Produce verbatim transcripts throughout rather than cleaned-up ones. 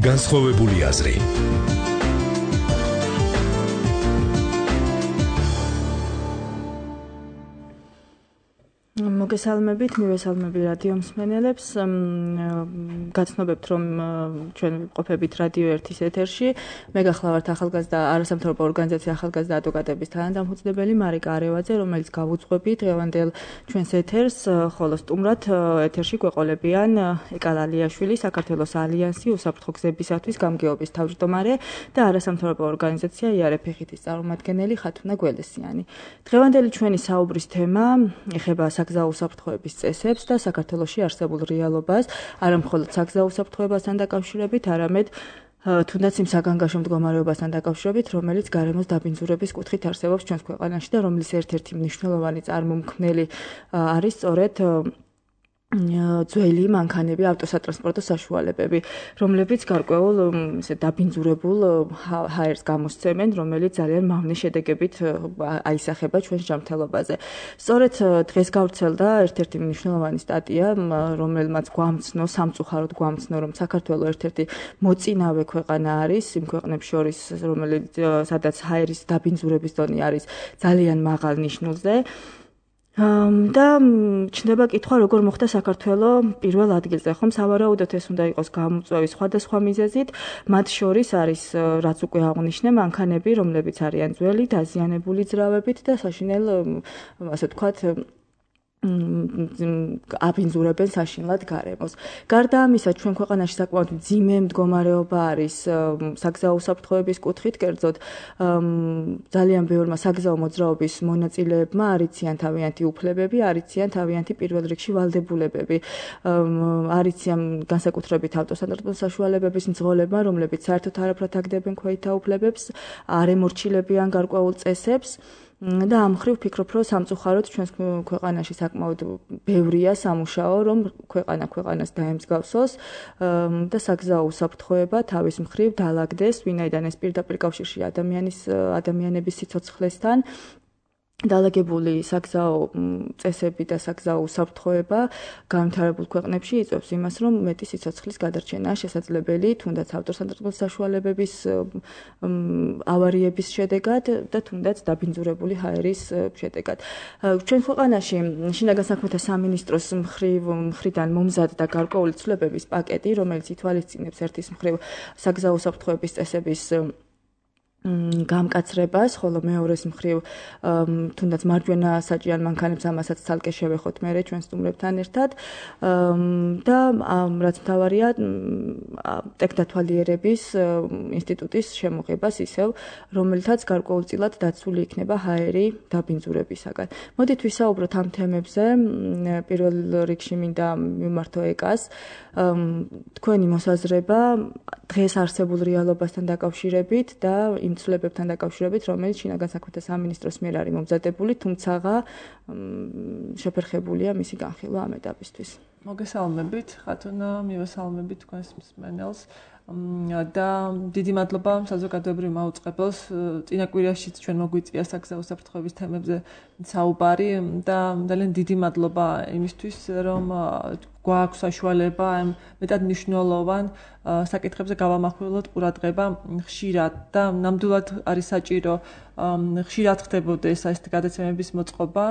განსხვავებული აზრი. მოგესალმებით, მივესალმები რადიო მსმენელებს. გაცნობებთ, რომ ჩვენ ვიმყოფებით რადიო ერთის ეთერში. მე გახლავართ ახალგაზრდა არასამთავრობო ორგანიზაცია ახალგაზრდა ადვოკატების თანადამფუძნებელი მარიკა არევაძე, რომელიც გავუძღვებით დღევანდელ ჩვენს ეთერს, ხოლო სტუმრად ეთერში გვეყოლებიან ეკალ ალიაშვილი, საქართველოს ალიანსი უსაფრთხო გზებისათვის გამგეობის თავმჯდომარე და არასამთავრობო ორგანიზაცია იარეფეხითის წარმომადგენელი ხათუნა გველესიანი. დღევანდელი ჩვენი საუბრის თემა ეხება საგზაო უსაფრთხოების წესებს და საქართველოში არსებულ რეალობას, არა მხოლოდ საგზაო უსაფრთხოებასთან დაკავშირებით, არამედ თუნდაც იმ საგანგაშო მდგომარეობასთან დაკავშირებით, რომელიც გარემოს დაბინძურების კუთხით არსებობს ჩვენს ქვეყანაში და რომლის ერთ-ერთი მნიშვნელოვანი წარმომქმნელი არის სწორედ ძველი მანქანები, ავტოსატრანსპორტო საშუალებები, რომლებიც გარკვეულ ისე დაბინძურებულ ჰაერს გამოსცემენ, რომელიც ძალიან მავნე შედეგებით აისახება ჩვენს ჯანმრთელობაზე. სწორედ დღეს გავრცელდა ერთ-ერთი მნიშვნელოვანი სტატია, რომელმაც გვამცნო, სამწუხაროდ გვამცნო, რომ საქართველოს ერთ-ერთი მოწინავე ქვეყანა არის იმ ქვეყნებს შორის, რომელიც სადაც ჰაერის დაბინძურების დონე არის ძალიან მაღალ ნიშნულზე. და ჩნდება კითხვა, როგორ მოხდა საქართველოს პირველ ადგილზე, ხომ სავარაუდოდ ეს უნდა იყოს გამოწვევის სხვადასხვა მიზეზით, მათ შორის არის, რაც უკვე აღვნიშნე, მანქანები, რომლებიც არიან ძველი, დაზიანებული ძრავებით და საშინელ, ასე ვთქვათ, აბინძურებენ საშინლად გარემოს. გარდა ამისა, ჩვენ ქვეყანაში საკმაოდ მძიმე მდგომარეობა არის საგზაო უსაფრთხოების კუთხით, კერძოდ ძალიან ბევრმა საგზაო მოძრაობის მონაწილეებმა არ იციან თავიანთი უფლებები, არ იციან თავიანთი პირველ რიგში ვალდებულებები. არ იციან განსაკუთრებით ავტოსატრანსპორტო საშუალებების მძღოლებმა, რომლებიც საერთოდ არაფრად აგდებენ ქვეითთა უფლებებს, არ ემორჩილებიან გარკვეულ წესებს. და ამ მხრივ ვფიქრობ, რომ სამწუხაროდ ჩვენს ქვეყანაში საკმაოდ ბევრია სამუშაო, რომ ქვეყანა ქვეყანას დაემსგავსოს და საგზაო უსაფრთხოება თავის მხრივ დაალაგდეს, ვინაიდან ეს პირდაპირ კავშირში ადამიანის ადამიანების სიცოცხლესთან. დაალაგებული საგზაო წესები და საგზაო უსაფრთხოება განვითარებულ ქვეყნებში იწვევს იმას, რომ მეტი სიცოცხლის გადარჩენაა შესაძლებელი, თუნდაც ავტოსატრანსპორტო საშუალებების ავარიების შედეგად და თუნდაც დაბინძურებული ჰაერის შედეგად. ჩვენ ქვეყანაში შინაგან საქმეთა სამინისტროს მხრივ მხრიდან მომზადდა გარკვეული ცვლილებების პაკეტი, რომელიც ითვალისწინებს ერთის მხრივ საგზაო უსაფრთხოების წესების გამკაცრებას, ხოლო მეორეს მხრივ თუნდაც მარჯვენა საჭიარ მანქანებს ამასაც ცალკე შევეხოთ მერე ჩვენ სტუმრებთან ერთად და რაც მთავარია ტექნათვალიერების ინსტიტუტის შემოღებას ისევ, რომელთაც გარკვეულწილად დაცული იქნება ჰაერი დაბინძურებისაგან. მოდით ვისაუბროთ ამ თემებზე. პირველ რიგში მინდა მიმართო ეკას თქვენი მოსაზრება დღეს არსებულ რეალობასთან დაკავშირებით და იმ ცვლილებებთან დაკავშირებით, რომელიც შინაგან საქმეთა სამინისტროს მიერ არის მომზადებული, თუმცა შეფერხებულია მისი განხილვა ამ ეტაპისთვის. მოგესალმებით, ხათუნა, მივესალმებით თქვენს მსმენელს. და დიდი მადლობა საზოგადოებრივ მაუწყებელს. წინა კვირაშიც ჩვენ მოგვიწია საგზაო უსაფრთხოების თემებზე საუბარი და ძალიან დიდი მადლობა იმისთვის, რომ გვაქვს საშუალება ამ მეტად მნიშვნელოვან საკითხებზე გავამახვილოთ ყურადღება ხშირად და ნამდვილად არის საჭირო ხშირად ხდებოდეს ეს გადაცემების მოწყობა,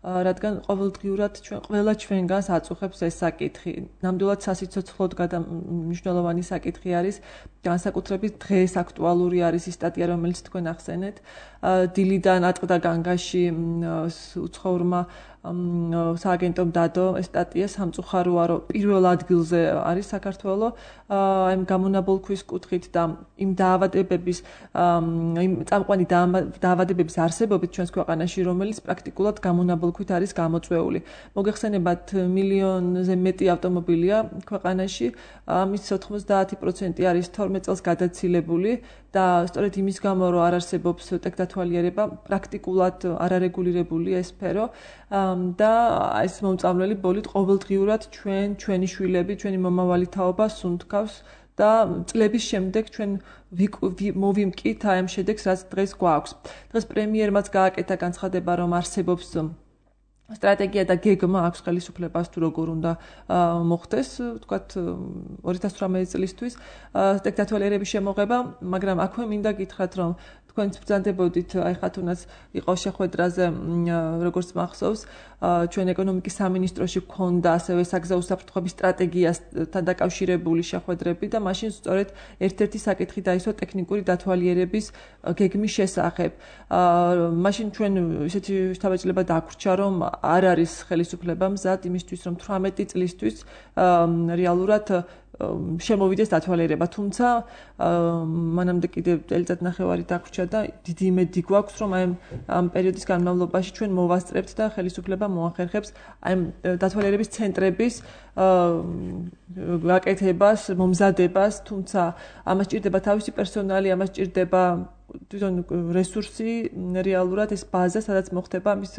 რადგან ყოველდღიურად ჩვენ ყველა ჩვენგანს აწუხებს ეს საკითხი. ნამდვილად სასიცოცხლოდ მნიშვნელოვანი საკითხი არის, განსაკუთრებით დღეს აქტუალური არის ის სტატია, რომელიც თქვენ ახსენეთ. დილიდან ატყდა განგაში უცხოურმა სააგენტომ დადო ეს სტატია, სამწუხაროა, რომ პირველ ადგილზე არის საქართველო ამ გამონაბოლქვის კუთხით და იმ დაავადებების იმ წამყვანი დაავადებების არსებობით ჩვენს ქვეყანაში, რომელიც პრაქტიკულად გამონაბოლქვით არის გამოწვეული. მოგეხსენებათ, მილიონზე მეტი ავტომობილია ქვეყანაში, ამის ოთხმოცდაათი პროცენტი არის თორმეტ წელს გადაცილებული და სწორედ იმის გამო, რომ არ არსებობს ტექნათვალიერება, პრაქტიკულად არარეგულირებულია ეს სფერო და ეს მომწამლელი ბოლით ყოველდღიურად ჩვენ, ჩვენი შვილები, ჩვენი მომავალი თაობა სუნთქავს და წლების შემდეგ ჩვენ მოვიმკით აი ამ შედეგს, რაც დღეს გვაქვს. დღეს პრემიერმაც გააკეთა განცხადება, რომ არსებობს სტრატეგია და გეგმა აქვს ხელისუფლებას თუ როგორ უნდა მოხდეს, ვთქვათ ორი ათას თვრამეტი წლისთვის დიქტატორების შემოღება, მაგრამ აქვე მინდა გითხრათ, რომ თქვენც ბრძანდებოდით, აი ხათუნაც იყო შეხვედრაზე, როგორც მახსოვს, ჩვენ ეკონომიკის სამინისტროში გქონდა ასევე საგზაო უსაფრთხოების სტრატეგიასთან დაკავშირებული შეხვედრები და მაშინ სწორედ ერთ-ერთი საკითხი დაისვა ტექნიკური დათვალიერების გეგმის შესახებ. მაშინ ჩვენ ისეთი შთაბეჭდილება დაგვრჩა, რომ არ არის ხელისუფლება მზად იმისთვის, რომ თვრამეტი წლისთვის რეალურად შემოვიდეს დათვალიერება, თუმცა მანამდე კიდევ წელიწად ნახევარი დაგვრჩა და დიდი იმედი გვაქვს, რომ აი ამ პერიოდის განმავლობაში ჩვენ მოვასწრებთ და ხელისუფლება მოახერხებს აი დათვალიერების ცენტრების გაკეთებას, მომზადებას, თუმცა ამას ჭირდება თავისი პერსონალი, ამას ჭირდება თვითონ რესურსი, რეალურად ეს ბაზა, სადაც მოხდება ამის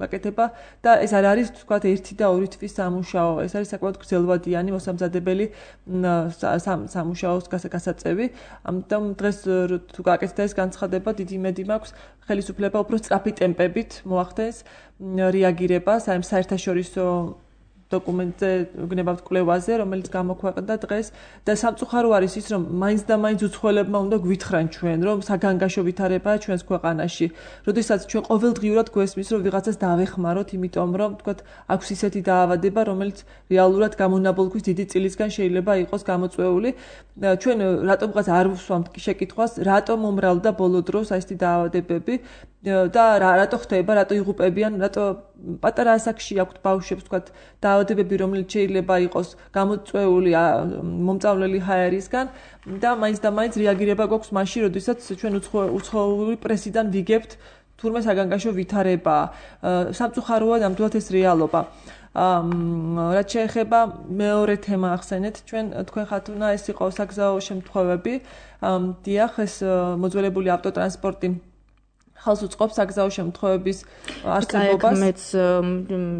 გაკეთება და ეს არ არის თქვათ ერთი და ორი თვის სამუშაო, ეს არის საკმაოდ გრძელვადიანი მოსამზადებელი სამუშაოს გასაწევი. ამიტომ დღეს თუ გაკეთდა ეს განცხადება, დიდი იმედი მაქვს, ხელისუფლება უფრო სწრაფი ტემპებით მოახდენს რეაგირებას აი საერთაშორისო დოკუმენტზე გნებავთ კვლევაზე, რომელიც გამოქვეყნდა დღეს და სამწუხარო არის ის, რომ მაინც და მაინც უცხოელებმა უნდა გვითხრან ჩვენ, რომ საგანგაშო ვითარებაა ჩვენს ქვეყანაში. როდესაც ჩვენ ყოველდღიურად გვესმის, რომ ვიღაცას დავეხმაროთ, იმიტომ რომ თქვათ აქვს ისეთი დაავადება, რომელიც რეალურად გამონაბოლქვის დიდი წილისგან შეიძლება იყოს გამოწვეული. ჩვენ რატომღაც არ ვსვამთ შეკითხვას, რატომ მომრავლდა ბოლო დროს აი ესეთი დაავადებები და რატო ხდება, რატო იღუპებიან, რატო პატარა ასაკში აქვთ ბავშვებს, თქვათ, დაავადებები, რომელიც შეიძლება იყოს გამოწვეული მომწავლელი ჰაერისგან და მაინც და მაინც რეაგირება გვაქვს მაშინ, როდესაც ჩვენ უცხოური პრესიდან ვიგებთ თურმე საგანგაშო ვითარება. სამწუხაროა ნამდვილად ეს რეალობა. რაც შეეხება მეორე თემა ახსენეთ, ჩვენ თქვენ ხათუნა ეს იყო საგზაო შემთხვევები. დიახ, ეს მოძველებული ავტოტრანსპორტი ხალხს უწყობს საგზაო შემთხვევების არსებობას. მეც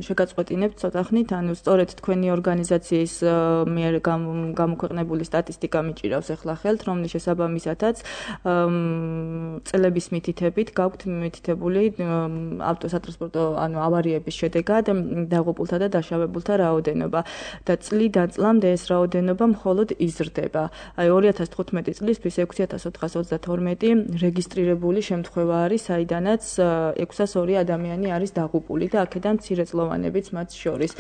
შეგაწყვეტინებ ცოტა ხნით, ანუ სწორედ თქვენი ორგანიზაციის მიერ გამოქვეყნებული სტატისტიკა მიჭირავს ახლა ხელთ, რომლის შესაბამისათაც წლების მითითებით გაქვთ მითითებული ავტოსატრანსპორტო ანუ ავარიების შედეგად დაღუპულთა და დაშავებულთა რაოდენობა და წლიდან წლამდე ეს რაოდენობა მხოლოდ იზრდება. აი ორი ათას თხუთმეტი წლისთვის ექვსი ათას ოთხას ოცდათორმეტი რეგისტრირებული შემთხვევა არის, საიდანაც ექვსას ორი ადამიანი არის დაღუპული და აქედან მცირეწლოვანებიც მათ შორის.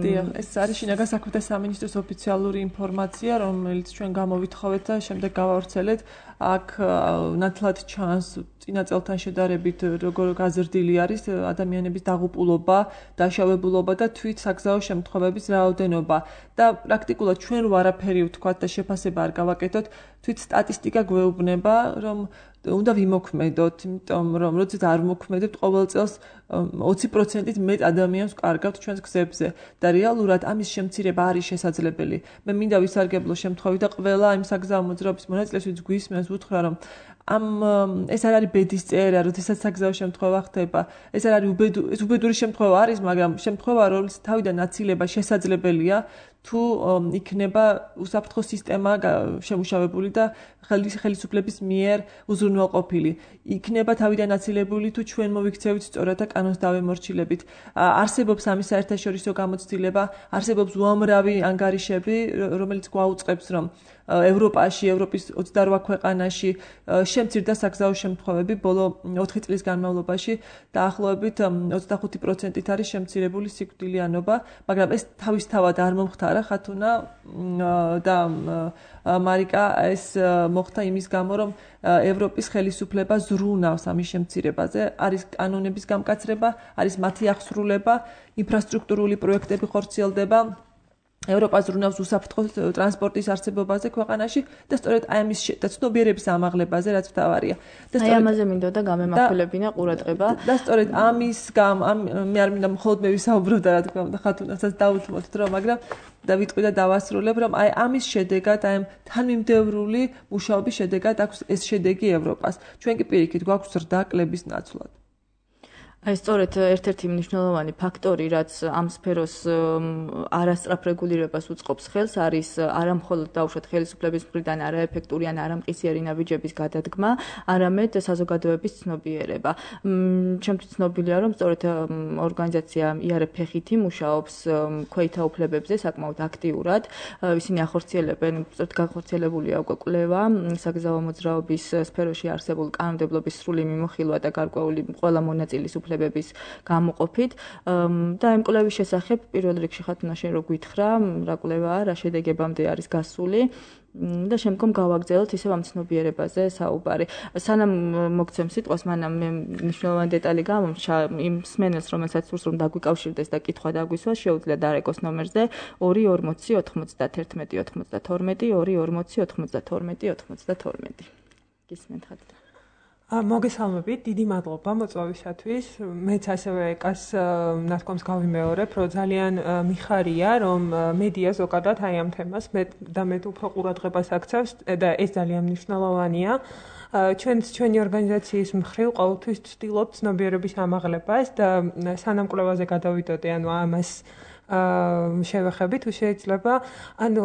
დიახ, ეს არის შინაგან საქმეთა სამინისტროს ოფიციალური ინფორმაცია, რომელიც ჩვენ გამოვითხოვეთ და შემდეგ გავავრცელეთ. აქ ნათლად ჩანს წინა წელთან შედარებით როგორ გაზრდილი არის ადამიანების დაღუპულობა, დაშავებულობა და თვით საგზაო შემთხვევების რაოდენობა. და პრაქტიკულად ჩვენ ვარაფერი ვთქვათ და შეფასება არ გავაკეთოთ, თვით სტატისტიკა გვეუბნება, რომ უნდა ვიმოქმედოთ, იმიტომ რომ როდესაც არ ვიმოქმედებთ, ყოველ წელს ოცი პროცენტით მეტ ადამიანს ვკარგავთ ჩვენს გზებზე და რეალურად ამის შემცირება არის შესაძლებელი. მე მინდა ვისარგებლო შემთხვევით და ყველა იმ საგზაო მოძრაობის მონაწილეს ვინც გვისმენს ვუთხრა, რომ ამ ეს არ არის ბედის წერა, როდესაც საგზაო შემთხვევა ხდება. ეს არ არის უბედური, ეს უბედური შემთხვევა არის, მაგრამ შემთხვევა, რომელიც თავიდან აცილება შესაძლებელია, თუ იქნება უსაფრთხო სისტემა შემუშავებული და ხელისუფლების მიერ უზრუნველყოფილი. იქნება თავიდან აცილებული, თუ ჩვენ მოვიქცევით სწორად და კანონს დავემორჩილებით. არსებობს ამის საერთაშორისო გამოცდილება, არსებობს უამრავი ანგარიშები, რომელიც გვაუწყებს, რომ ევროპაში, ევროპის ოცდარვა ქვეყანაში შემცირდა საგზაო შემთხვევები ბოლო ოთხი წლის განმავლობაში დაახლოებით ოცდახუთი პროცენტით არის შემცირებული სიკვდილიანობა, მაგრამ ეს თავისთავად არ მომხდარა ხათუნა და მარიკა, ეს მოხდა იმის გამო, რომ ევროპის ხელისუფლება ზრუნავს ამის შემცირებაზე, არის კანონების გამკაცრება, არის მათი აღსრულება, ინფრასტრუქტურული პროექტები ხორციელდება. ევროპა ზრუნავს უსაფრთხო ტრანსპორტის არსებობაზე ქვეყანაში და სწორედ აი ამის ცნობიერების ამაღლებაზე, რაც მთავარია. და სწორედ ამაზე მინდოდა გამემახვილებინა ყურადღება. და სწორედ ამის გამ მე არ მინდა მხოლოდ მე ვისაუბრო და რა თქმა უნდა ხათუნასაც დაუთმოთ დრო, მაგრამ და ვიტყვი და დავასრულებ, რომ აი ამის შედეგად, აი თანმიმდევრული მუშაობის შედეგად აქვს ეს შედეგი ევროპას. ჩვენ კი პირიქით გვაქვს ზრდა კლების ნაცვლად. აი სწორედ ერთ-ერთი მნიშვნელოვანი ფაქტორი, რაც ამ სფეროს არასწრაფ რეგულირებას უწყობს ხელს, არის არა მხოლოდ დაუშვათ ხელისუფლების მხრიდან არაეფექტური ან არამყისიერი ნაბიჯების გადადგმა, არამედ საზოგადოების ცნობიერება. ჩემთვის ცნობილია, რომ სწორედ ორგანიზაცია იარე ფეხითი მუშაობს ქვეითთა უფლებებზე საკმაოდ აქტიურად. ისინი ახორციელებენ, სწორედ განხორციელებულია უკვე კვლევა საგზაო მოძრაობის სფეროში არსებულ კანონმდებლობის სრული მიმოხილვა და გარკვეული ყველა მონაწილის უფლებების გამოყოფით და ამ კვლევის შესახებ პირველ რიგში ხათუნა შენ რო გითხრა, რა კვლევაა, რა შედეგებამდე არის გასული და შემდგომ გავაგრძელოთ ისევ ამ ცნობიერებაზე საუბარი. სანამ მოგცემ სიტყვას, მანამ მე მნიშვნელოვანი დეტალი გამომჩა იმ მსმენელს, რომელსაც სურს რომ დაგვიკავშირდეს და კითხვა დაგვისვას, შეუძლია დარეკოს ნომერზე ორი ორმოცი ოთხმოცდათერთმეტი ოცდათორმეტი ორი ორმოცი ოთხმოცდათორმეტი ოცდათორმეტი. გისმენთ ხათუნა. მოგესალმებით, დიდი მადლობა მოწვევისათვის. მეც ასევე ეკას ნათქვამს გავიმეორებ, რომ ძალიან მიხარია, რომ მედია ზოგადად აი ამ თემას მეტ და მეტ უფრო ყურადღებას აქცევს და ეს ძალიან მნიშვნელოვანია. ჩვენც ჩვენი ორგანიზაციის მხრივ ყოველთვის ვცდილობთ ცნობიერების ამაღლებას და სანამ კვლევაზე გადავიდოდე, ანუ ამას შევეხები თუ შეიძლება, ანუ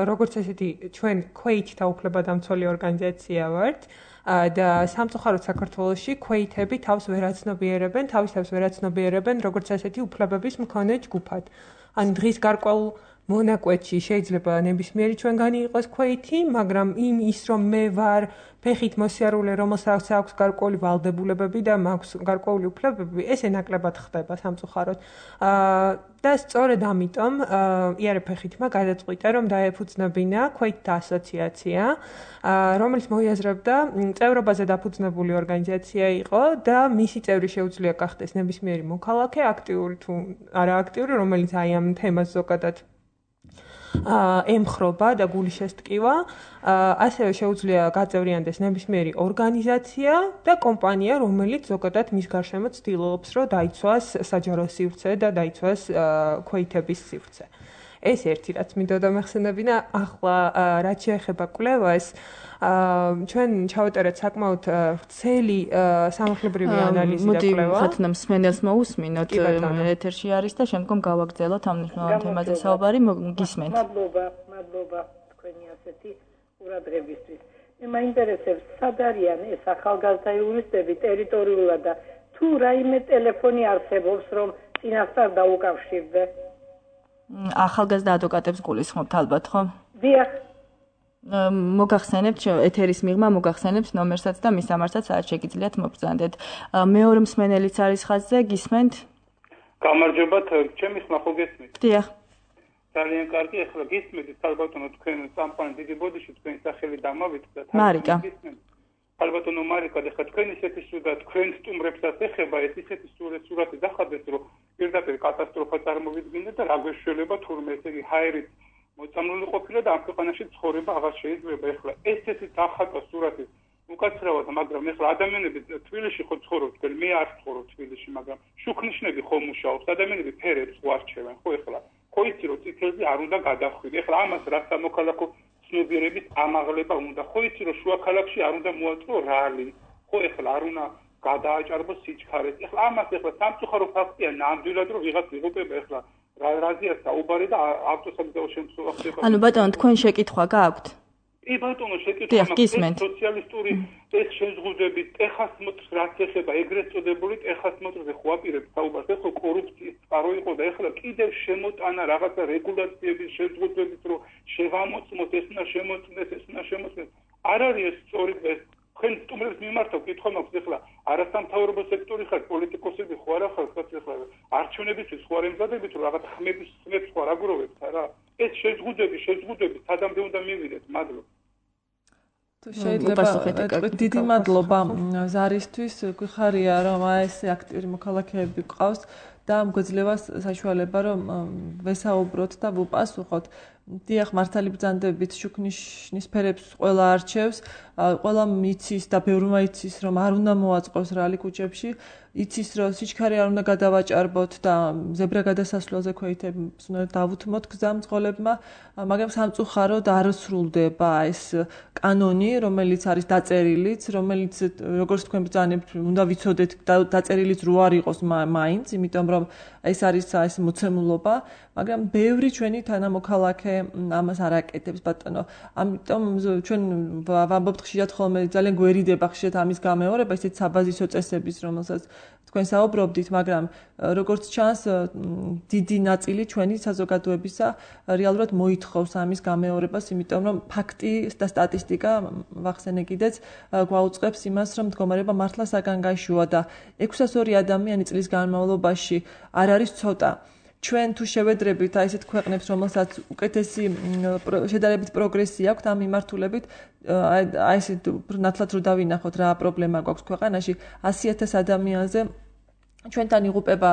როგორც ესეთი ჩვენ ქვეითთა უფლებადამცველი ორგანიზაცია ვართ. და სამწუხაროდ საქართველოში ქვეითები თავს ვერ აცნობიერებენ, თავის თავს ვერ აცნობიერებენ როგორც ასეთი უფლებების მქონე ჯგუფად. ან დღის გარკვეულ მონაკვეთში შეიძლება ნებისმიერი ჩვენგანი იყოს ქვეითი, მაგრამ იმ ის რომ მე ვარ ფეხით მოსიარულე, რომელსაც აქვს გარკვეული ვალდებულებები და მაქვს გარკვეული უფლებები, ეს ენაკლებად ხდება სამწუხაროდ. და სწორედ ამიტომ იარე ფეხითმა გადაწყვიტა, რომ დაეფუძნებინა ქვეითთა ასოციაცია, რომელიც მოიაზრებდა წევრობაზე დაფუძნებული ორგანიზაცია იყო და მისი წევრი შეუძლია გახდეს ნებისმიერი მოქალაქე, აქტიური თუ არააქტიური, რომელიც აი ამ თემას ზოგადად ემხრობა და გული შესტკივა, ასევე შეუძლია გაწევრიანდეს ნებისმიერი ორგანიზაცია და კომპანია, რომელიც ზოგადად მის გარშემო ცდილობს, რომ დაიცვას საჯარო სივრცე და დაიცვას ქვეითების სივრცე. ეს ერთი რაც მინდოდა მეხსენებინა, ახლა რაც შეეხება კვლევას, ჩვენ ჩავატარეთ საკმაოდ ვრცელი სამართლებრივი ანალიზი და კვლევა. მოდი ხათუნა მსმენელს მოусმინოთ, ეთერში არის და შემდგომ გავაგრძელოთ ამ მნიშვნელოვან თემაზე საუბარი, გისმენთ. მადლობა, მადლობა თქვენი ასეთი ყურადღებისთვის. მე მაინტერესებს, სად არიან ეს ახალგაზრდა იურისტები ტერიტორიულად და თუ რაიმე ტელეფონი არსებობს, რომ წინასწარ დაუკავშირდე? ახალგაზრდა ადვოკატებს გულისხმობთ ალბათ, ხო? დიახ. მოგახსენებთ ეთერის მიღმა მოგახსენებთ ნომერსაც და მის ამარსაც რაც შეგიძლიათ მობრძანდეთ. მეორე მსმენელიც არის ხაზზე, გისმენთ? გამარჯობათ, ჩემი ხმა ხო გესმით? დიახ. ძალიან კარგი, ახლა გისმენთ, ალბათონო თქვენ სამყარო დიდი ბოდიში თქვენი სახელი დამავით და მარიკა. ალბათონო მარიკა, ახლა თქვენ ისეთი სურდა თქვენ სტუმრებსაც ეხება, ეს ისეთი სურათი დახარდეს, რომ პირდაპირ კატასტროფა წარმოვიდგინეთ და რა გვეშველება თურმე ესე იგი ჰაერით მოწამლული ყოფილა და ამ ქვეყანაში ცხოვრება აღარ შეიძლება. ეხლა ესეთი დახატვა სურათი უკაცრავად, მაგრამ ეხლა ადამიანები თბილისში ხო ცხოვრობთ, მე არ ვცხოვრობ თბილისში, მაგრამ შუქნიშნები ხო მუშაობს, ადამიანები ფერებს ხო არჩევენ, ხო ეხლა ხო იცი რომ წითელზე არ უნდა გადახვიდე. ეხლა ამას რა სამოქალაქო ცნობიერების ამაღლება უნდა, ხო იცი რომ შუა ქალაქში არ უნდა მოაწყო რალი, ხო ეხლა არ უნდა გადააჭარბოს სიჩქარეს. ეხლა ამას ეხლა სამწუხარო ფაქტია, ნამდვილად რომ ვიღაც იღუპება ეხლა რაზია საუბარი და ავტოსაგზაო შემთხვევა ხდება. ანუ ბატონო, თქვენ შეკითხვა გაქვთ? კი ბატონო, შეკითხვა მაქვს. სოციალისტური ეს შეზღუდვები ტეხას მოწს რაც ეხება, ეგრეთ წოდებული ტეხას მოწზე ხო აპირებს საუბარს, ეხლა კორუფციის წყარო იყო და ეხლა კიდევ შემოტანა რაღაცა რეგულაციების შეზღუდვებით, რომ შევამოწმოთ, ეს უნდა შემოწმდეს, ეს უნდა შემოწმდეს. არ არის ეს სწორი ეს თქვენ სტუმრებს მიმართავ, კითხვა მაქვს ეხლა არასამთავრობო სექტორი ხარ, პოლიტიკოსები ხო არა ხარ, ეხლა არჩევნებისთვის ხო არ ემზადებით, რომ რაღაც ხმების ხმებს ხო არ აგროვებთ, არა? ეს შეზღუდვები, შეზღუდვები სადამდე უნდა მივიდეთ, მადლობა. თუ შეიძლება დიდი მადლობა ზარისთვის, გვიხარია რომ აი ეს აქტიური მოქალაქეები ყავს და გვეძლევა საშუალება რომ ვესაუბროთ და ვუპასუხოთ. დიახ, მართალი ბრძანდებით შუქნიშნის ფერებს ყველა არჩევს, ყველა მიცის და ბევრმა იცის რომ არ უნდა მოაწყოს რალი ქუჩებში, იცის რომ სიჩქარე არ უნდა გადავაჭარბოთ და ზებრა გადასასვლელზე ქვეითებს უნდა დავუთმოთ გზა მძღოლებმა, მაგრამ სამწუხაროდ არ სრულდება ეს კანონი, რომელიც არის დაწერილიც, რომელიც როგორც თქვენ ბრძანებთ, უნდა ვიცოდეთ დაწერილიც რო არ იყოს მაინც, იმიტომ რომ ეს არის ეს მოცემულობა, მაგრამ ბევრი ჩვენი თანამოქალაქე ამას არ აკეთებს ბატონო. ამიტომ ჩვენ ვამბობთ ხშირად ხოლმე ძალიან გვერიდება ხშირად ამის გამეორება, ესეც საბაზისო წესების, რომელსაც თქვენ საუბრობდით, მაგრამ როგორც ჩანს, დიდი ნაწილი ჩვენი საზოგადოებისა რეალურად მოითხოვს ამის გამეორებას, იმიტომ რომ ფაქტი და სტატისტიკა ვახსენე კიდეც გვაუწყებს იმას, რომ მდგომარეობა მართლა საგანგაშოა და ექვსას ორი ადამიანი წლის განმავლობაში არ არის ცოტა. ჩვენ თუ შევედრებით აი ესეთ ქვეყნებს, რომელსაც უკეთესი შედარებით პროგრესი აქვს ამ მიმართულებით, აი ესეთ ნათლად რო დავინახოთ რა პრობლემა გვაქვს ქვეყანაში, ასი ათას ადამიანზე ჩვენთან იღუპება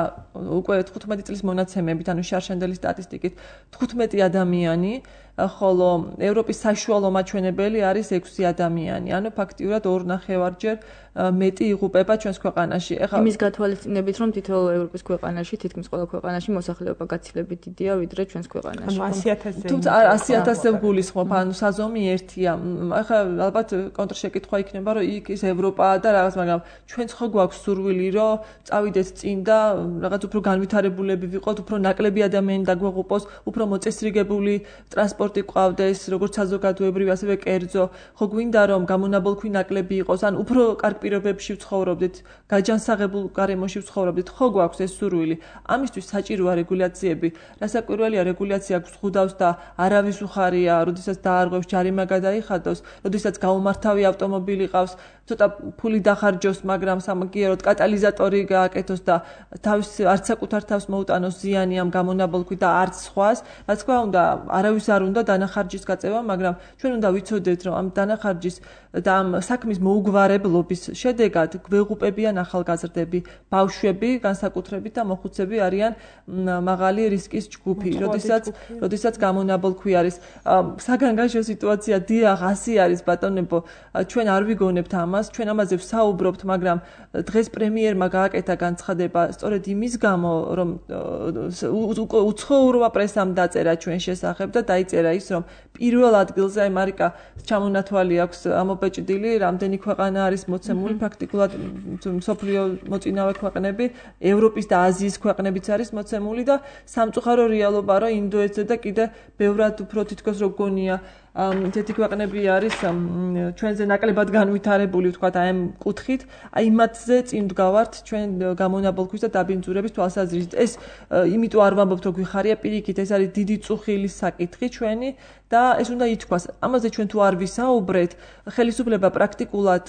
უკვე თხუთმეტი წლის მონაცემებით, ანუ შარშანდელი სტატისტიკით თხუთმეტი ადამიანი, ხოლო ევროპის საშუალო მაჩვენებელი არის ექვსი ადამიანი. ანუ ფაქტიურად ორ ნახევარჯერ მეტი იღუპება ჩვენს ქვეყანაში. ეხლა იმის გათვალისწინებით, რომ თითოეულ ევროპის ქვეყანაში, თითქმის ყველა ქვეყანაში მოსახლეობა გაცილებით დიდია, ვიდრე ჩვენს ქვეყანაში. ანუ ასი ათასზე. თუმცა ასი ათასზე გულისხმობ, ანუ საზომი ერთია. ეხლა ალბათ კონტრშეკითხვა იქნება, რომ იქ ის ევროპაა და რაღაც, მაგრამ ჩვენც ხო გვაქვს სურვილი, რომ წავიდეთ წინ და რაღაც უფრო განვითარებულები ვიყოთ, უფრო ნაკლები ადამიანი დაგვეღუპოს, უფრო მოწესრიგებული ტრანსპორტი ყავდეს, როგორც საზოგადოებრივი, ასევე კერძო. ხო გვინდა რომ გამონაბოლქვი ნაკლები იყოს, ან უფრო კარგ პირობებში ვცხოვრობდით, გაჯანსაღებულ გარემოში ვცხოვრობდით, ხო გვაქვს ეს სურვილი. ამისთვის საჭიროა რეგულაციები. რასაკვირველია, რეგულაცია გვხვდავს და არავის უხარია, როდესაც დაარღვევს ჯარიმა გადაიხადოს, როდესაც გაუმართავი ავტომობილი ყავს, ცოტა ფული დახარჯოს, მაგრამ სამაგიეროდ კატალიზატორი გააკეთოს და თავის არც საკუთარ თავს მოუტანოს ზიანი ამ გამონაბოლქვით და არც სხვას. რა თქმა უნდა, არავის არ უნდა დანახარჯის გაწევა, მაგრამ ჩვენ უნდა ვიცოდეთ, რომ ამ დანახარჯის და ამ საქმის მოუგვარებლობის შედეგად გვეღუპებიან ახალგაზრდები, ბავშვები, განსაკუთრებით და მოხუცები არიან მაღალი რისკის ჯგუფი, როდესაც როდესაც გამონაბოლქვი არის. საგანგაშო სიტუაცია დიახ, ასე არის ბატონებო, ჩვენ არ ვიგონებთ ამას, ჩვენ ამაზე ვსაუბრობთ, მაგრამ დღეს პრემიერმა გააკეთა განცხადება სწორედ იმის გამო, რომ უცხოურმა პრესამ დაწერა ჩვენ შესახებ და დაიწერა ის, რომ პირველ ადგილზე აი მარიკა ჩამონათვალი აქვს ამობეჭდილი, რამდენი ქვეყანა არის მოცემული, ფაქტიკულად მსოფლიო მოწინავე ქვეყნები, ევროპის და აზიის ქვეყნებიც არის მოცემული და სამწუხარო რეალობა, რომ ინდოეთზე და კიდე ბევრად უფრო თითქოს რო გონია თეთი ქვეყნები არის ჩვენზე ნაკლებად განვითარებული, ვთქვათ, აი ამ კუთხით, აი მათზე წინ ვდგავართ ჩვენ გამონაბოლქვის და დაბინძურების თვალსაზრისით. ეს იმიტომ არ ვამბობთ, რომ გვიხარია, პირიქით, ეს არის დიდი წუხილის საკითხი ჩვენი და ეს უნდა ითქვას. ამაზე ჩვენ თუ არ ვისაუბრეთ, ხელისუფლება პრაქტიკულად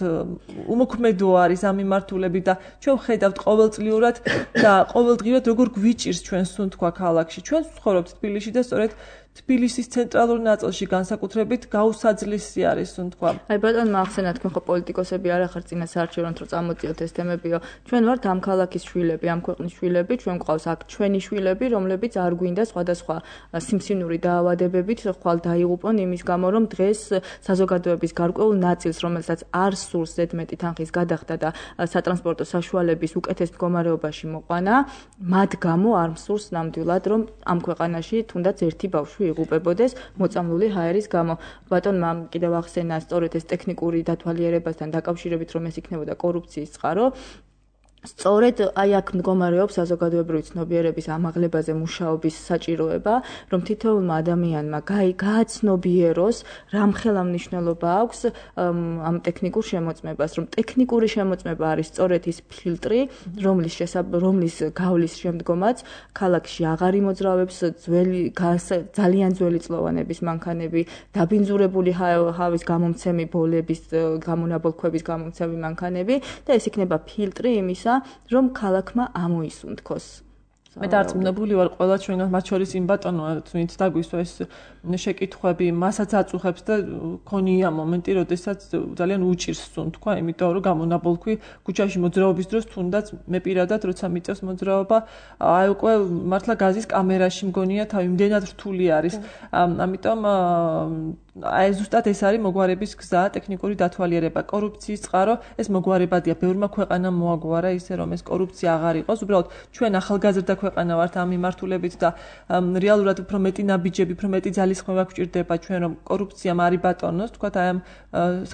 უმოქმედო არის ამ მიმართულებით და ჩვენ ხედავთ ყოველწლიურად და ყოველდღიურად როგორ გვიჭირს ჩვენ სუნთქვა ქალაქში. ჩვენ ვცხოვრობთ თბილისში და სწორედ თბილისის ცენტრალურ ნაწილში განსაკუთრებით გაუსაძლისი არის სუნთქვა. აი ბატონო, ახსენეთ, თქვენ ხო პოლიტიკოსები არ ახართ წინა საარჩევნოდ რომ წამოწიოთ ეს თემებიო. ჩვენ ვართ ამ ქალაქის შვილები, ამ ქვეყნის შვილები, ჩვენ გვყავს აქ ჩვენი შვილები, რომლებიც არ გვინდა სხვადასხვა სიმსივნური დაავადებებით ხვალ დაიღუპონ იმის გამო, რომ დღეს საზოგადოების გარკვეულ ნაწილს, რომელსაც არ სურს ზედმეტი თანხის გადახდა და სატრანსპორტო საშუალების უკეთეს მდგომარეობაში მოყვანა, მათ გამო არ მსურს ნამდვილად, რომ ამ ქვეყანაში თუნდაც ერთი ბავშვი იღუპებოდეს მოწამლული ჰაერის გამო. ბატონმა კიდევ ახსენა სწორედ ეს ტექნიკური დათვალიერებასთან დაკავშირებით, რომ ეს იქნებოდა კორუფციის წყარო. სწორედ აი აქ მდგომარეობს საზოგადოებრივი ცნობიერების ამაღლებაზე მუშაობის საჭიროება, რომ თითოეულმა ადამიანმა გააცნობიეროს, რა მხელა მნიშვნელობა აქვს ამ ტექნიკურ შემოწმებას, რომ ტექნიკური შემოწმება არის სწორედ ის ფილტრი, რომლის რომლის გავლის შემდგომაც ქალაქში აღარ იმოძრავებს ძველი ძალიან ძველი წლოვანების მანქანები, დაბინძურებული ჰავის გამომცემი ბოლების, გამონაბოლქვების გამომცემი მანქანები და ეს იქნება ფილტრი იმისა, რომ ქალაქმა ამოისუნთქოს მე დარწმუნებული ვარ ყველა ჩვენგან მათ შორის იმ ბატონოა ვინც დაგვისვა ეს შეკითხვები მასაც აწუხებს და ქონია მომენტი როდესაც ძალიან უჭირს თუნ თქვა იმიტომ რომ გამონაბოლქვი ქუჩაში მოძრაობის დროს თუნდაც მე პირადად როცა მიწევს მოძრაობა აი უკვე მართლა გაზის კამერაში მგონია თავი იმდენად რთული არის ამიტომ აი ზუსტად ეს არის მოგვარების გზა ტექნიკური დათვალიერება კორუფციის წყარო ეს მოგვარებადია ბევრმა ქვეყანამ მოაგვარა ისე რომ ეს კორუფცია აღარ იყოს უბრალოდ ჩვენ ახალგაზრდა ქვეყანა ვართ ამ მიმართულებით და რეალურად უფრო მეტი ნაბიჯები უფრო მეტი ძალისხმევა გვჭირდება ჩვენ რომ კორუფციამ არი ბატონოს თქვა აი ამ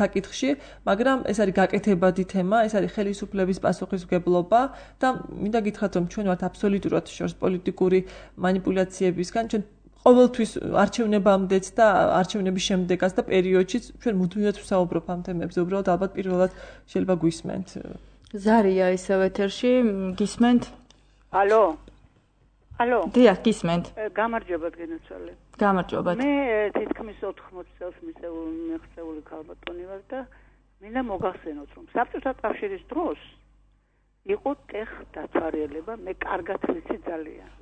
საკითხში მაგრამ ეს არის გაკეთებადი თემა ეს არის ხელისუფლების პასუხისმგებლობა და მინდა გითხრათ რომ ჩვენ ვართ აბსოლუტურად შორს პოლიტიკური манипуляციებისგან ჩვენ ყოველთვის არჩევნებამდეც და არჩევნების შემდეგაც და პერიოდშიც ჩვენ მუდმივად ვსაუბრობ ამ თემებზე უბრალოდ ალბათ პირველად შეიძლება გვისმენთ ზარია ისევ ეთერში გისმენთ ალო ალო დიახ გისმენთ გამარჯობა გენაცვალე გამარჯობა მე თითქმის ოთხმოცი წელს მიღწეული ქალბატონი ვარ და მინდა მოგახსენოთ რომ საბჭოთა კავშირის დროს იყო ტეხ დათვალიერება მე კარგად ვიცი ძალიან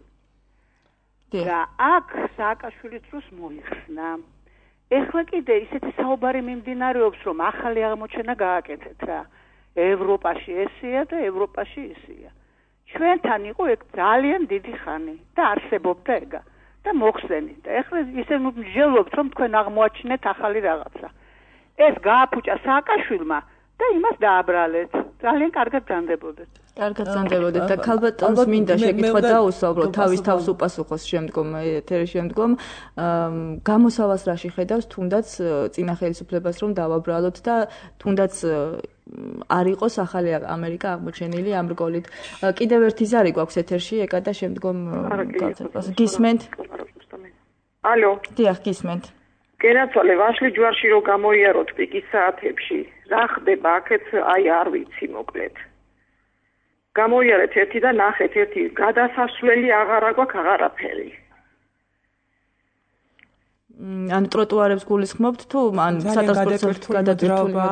და აქ სააკაშვილის დროს მოიხსნა. ეხლა კიდე ისეთი საუბარი მიმდინარეობს, რომ ახალი აღმოჩენა გააკეთეთ რა. ევროპაში ესეა და ევროპაში ისეა. ჩვენთან იყო ეგ ძალიან დიდი ხანი და არსებობდა ეგა და მოხსენით. და ეხლა ისე მსჯელობთ, რომ თქვენ აღმოაჩინეთ ახალი რაღაცა. ეს გააფუჭა სააკაშვილმა და იმას დააბრალეთ. ძალიან კარგად ძანდებოდეთ. კარგად ძანდებოდეთ და ქალბატონს მინდა შეკითხვა დაუსვაბრო თავის თავს უპასუხოს შემდგომ ეთერის შემდგომ გამოსავალს რაში ხედავს თუნდაც წინა ხელისუფლებას რომ დავაბრალოთ და თუნდაც არ იყოს ახალი ამერიკა აღმოჩენილი ამ რგოლით კიდევ ერთი ზარი გვაქვს ეთერში ეკა და შემდგომ გისმენთ ალო დიახ გისმენთ გენაცვალე ვაშლი ჯვარში რო გამოიაროთ პიკის საათებში რა ხდება აქეთ აი არ ვიცი მოკლედ გამოიარეთ ერთი და ნახეთ ერთი გადასასვლელი აღარა გვაქვს აღარაფერი ან ტროტუარებს გულისხმობთ თუ ან სატრანსპორტო გადატრიალება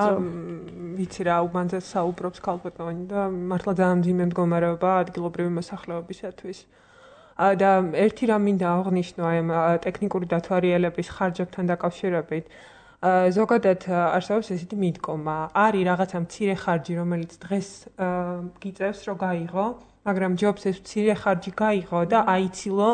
ვიცი რა უბანძას საუბრობს ქალბატონი და მართლა ძალიან მძიმე მდგომარეობა ადგილობრივი მოსახლეობისათვის და ერთი რამ მინდა აღნიშნო აი ტექნიკური დათვალიერების ხარჯებთან დაკავშირებით ზოგადად არსებობს ესეთი მიდგომა არის რაღაცა მცირე ხარჯი რომელიც დღეს გიწევს რომ გაიღო მაგრამ ჯობს ეს მცირე ხარჯი გაიღო და აიცილო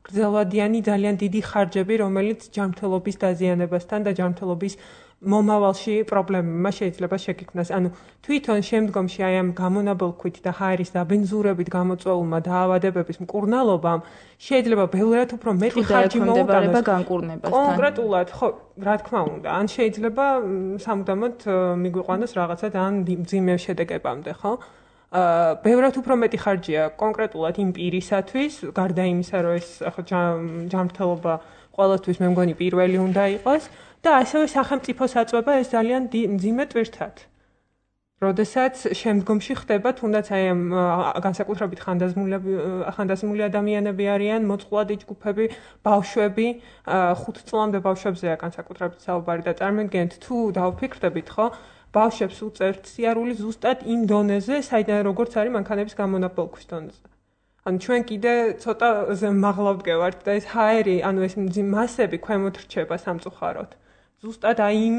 გრძელვადიანი ძალიან დიდი ხარჯები რომელიც ჯანმრთელობის დაზიანებასთან და ჯანმრთელობის მომავალში პრობლემებმა შეიძლება შეგიქმნას. ანუ თვითონ შემდგომში აი ამ გამონაბოლქვით და ჰაერის დაბენზურებით გამოწვეულმა დაავადებების მკურნალობამ შეიძლება ბევრად უფრო მეტი ხარჯი მოუტანოს განკურნებასთან. კონკრეტულად, ხო, რა თქმა უნდა, ან შეიძლება სამუდამოდ მიგვიყვანოს რაღაცა ძალიან მძიმე შედეგებამდე, ხო? აა ბევრად უფრო მეტი ხარჯია კონკრეტულად იმ პირისათვის, გარდა იმისა, რომ ეს ახლა ჯანმრთელობა ყოველთვის მე მგონი პირველი უნდა იყოს. და ასევე სახელმწიფოს აწვება ეს ძალიან მძიმე ტვირთად. როდესაც შემდგომში ხდება თუნდაც აი ამ განსაკუთრებით ხანდაზმული ადამიანები არიან, მოწყვლადი ჯგუფები, ბავშვები, ხუთ წლამდე ბავშვებზეა განსაკუთრებით საუბარი და წარმოგიდგენთ თუ დავფიქრდებით, ხო? ბავშვებს უწევთ სიარული ზუსტად იმ დონეზე, საიდან როგორც არის მანქანების გამონაბოლქვის დონეზე. ანუ ჩვენ კიდე ცოტა მაღლა ვდგევართ და ეს ჰაერი, ანუ ეს მასები ქვემოთ რჩება სამწუხაროდ. ზუსტად აი იმ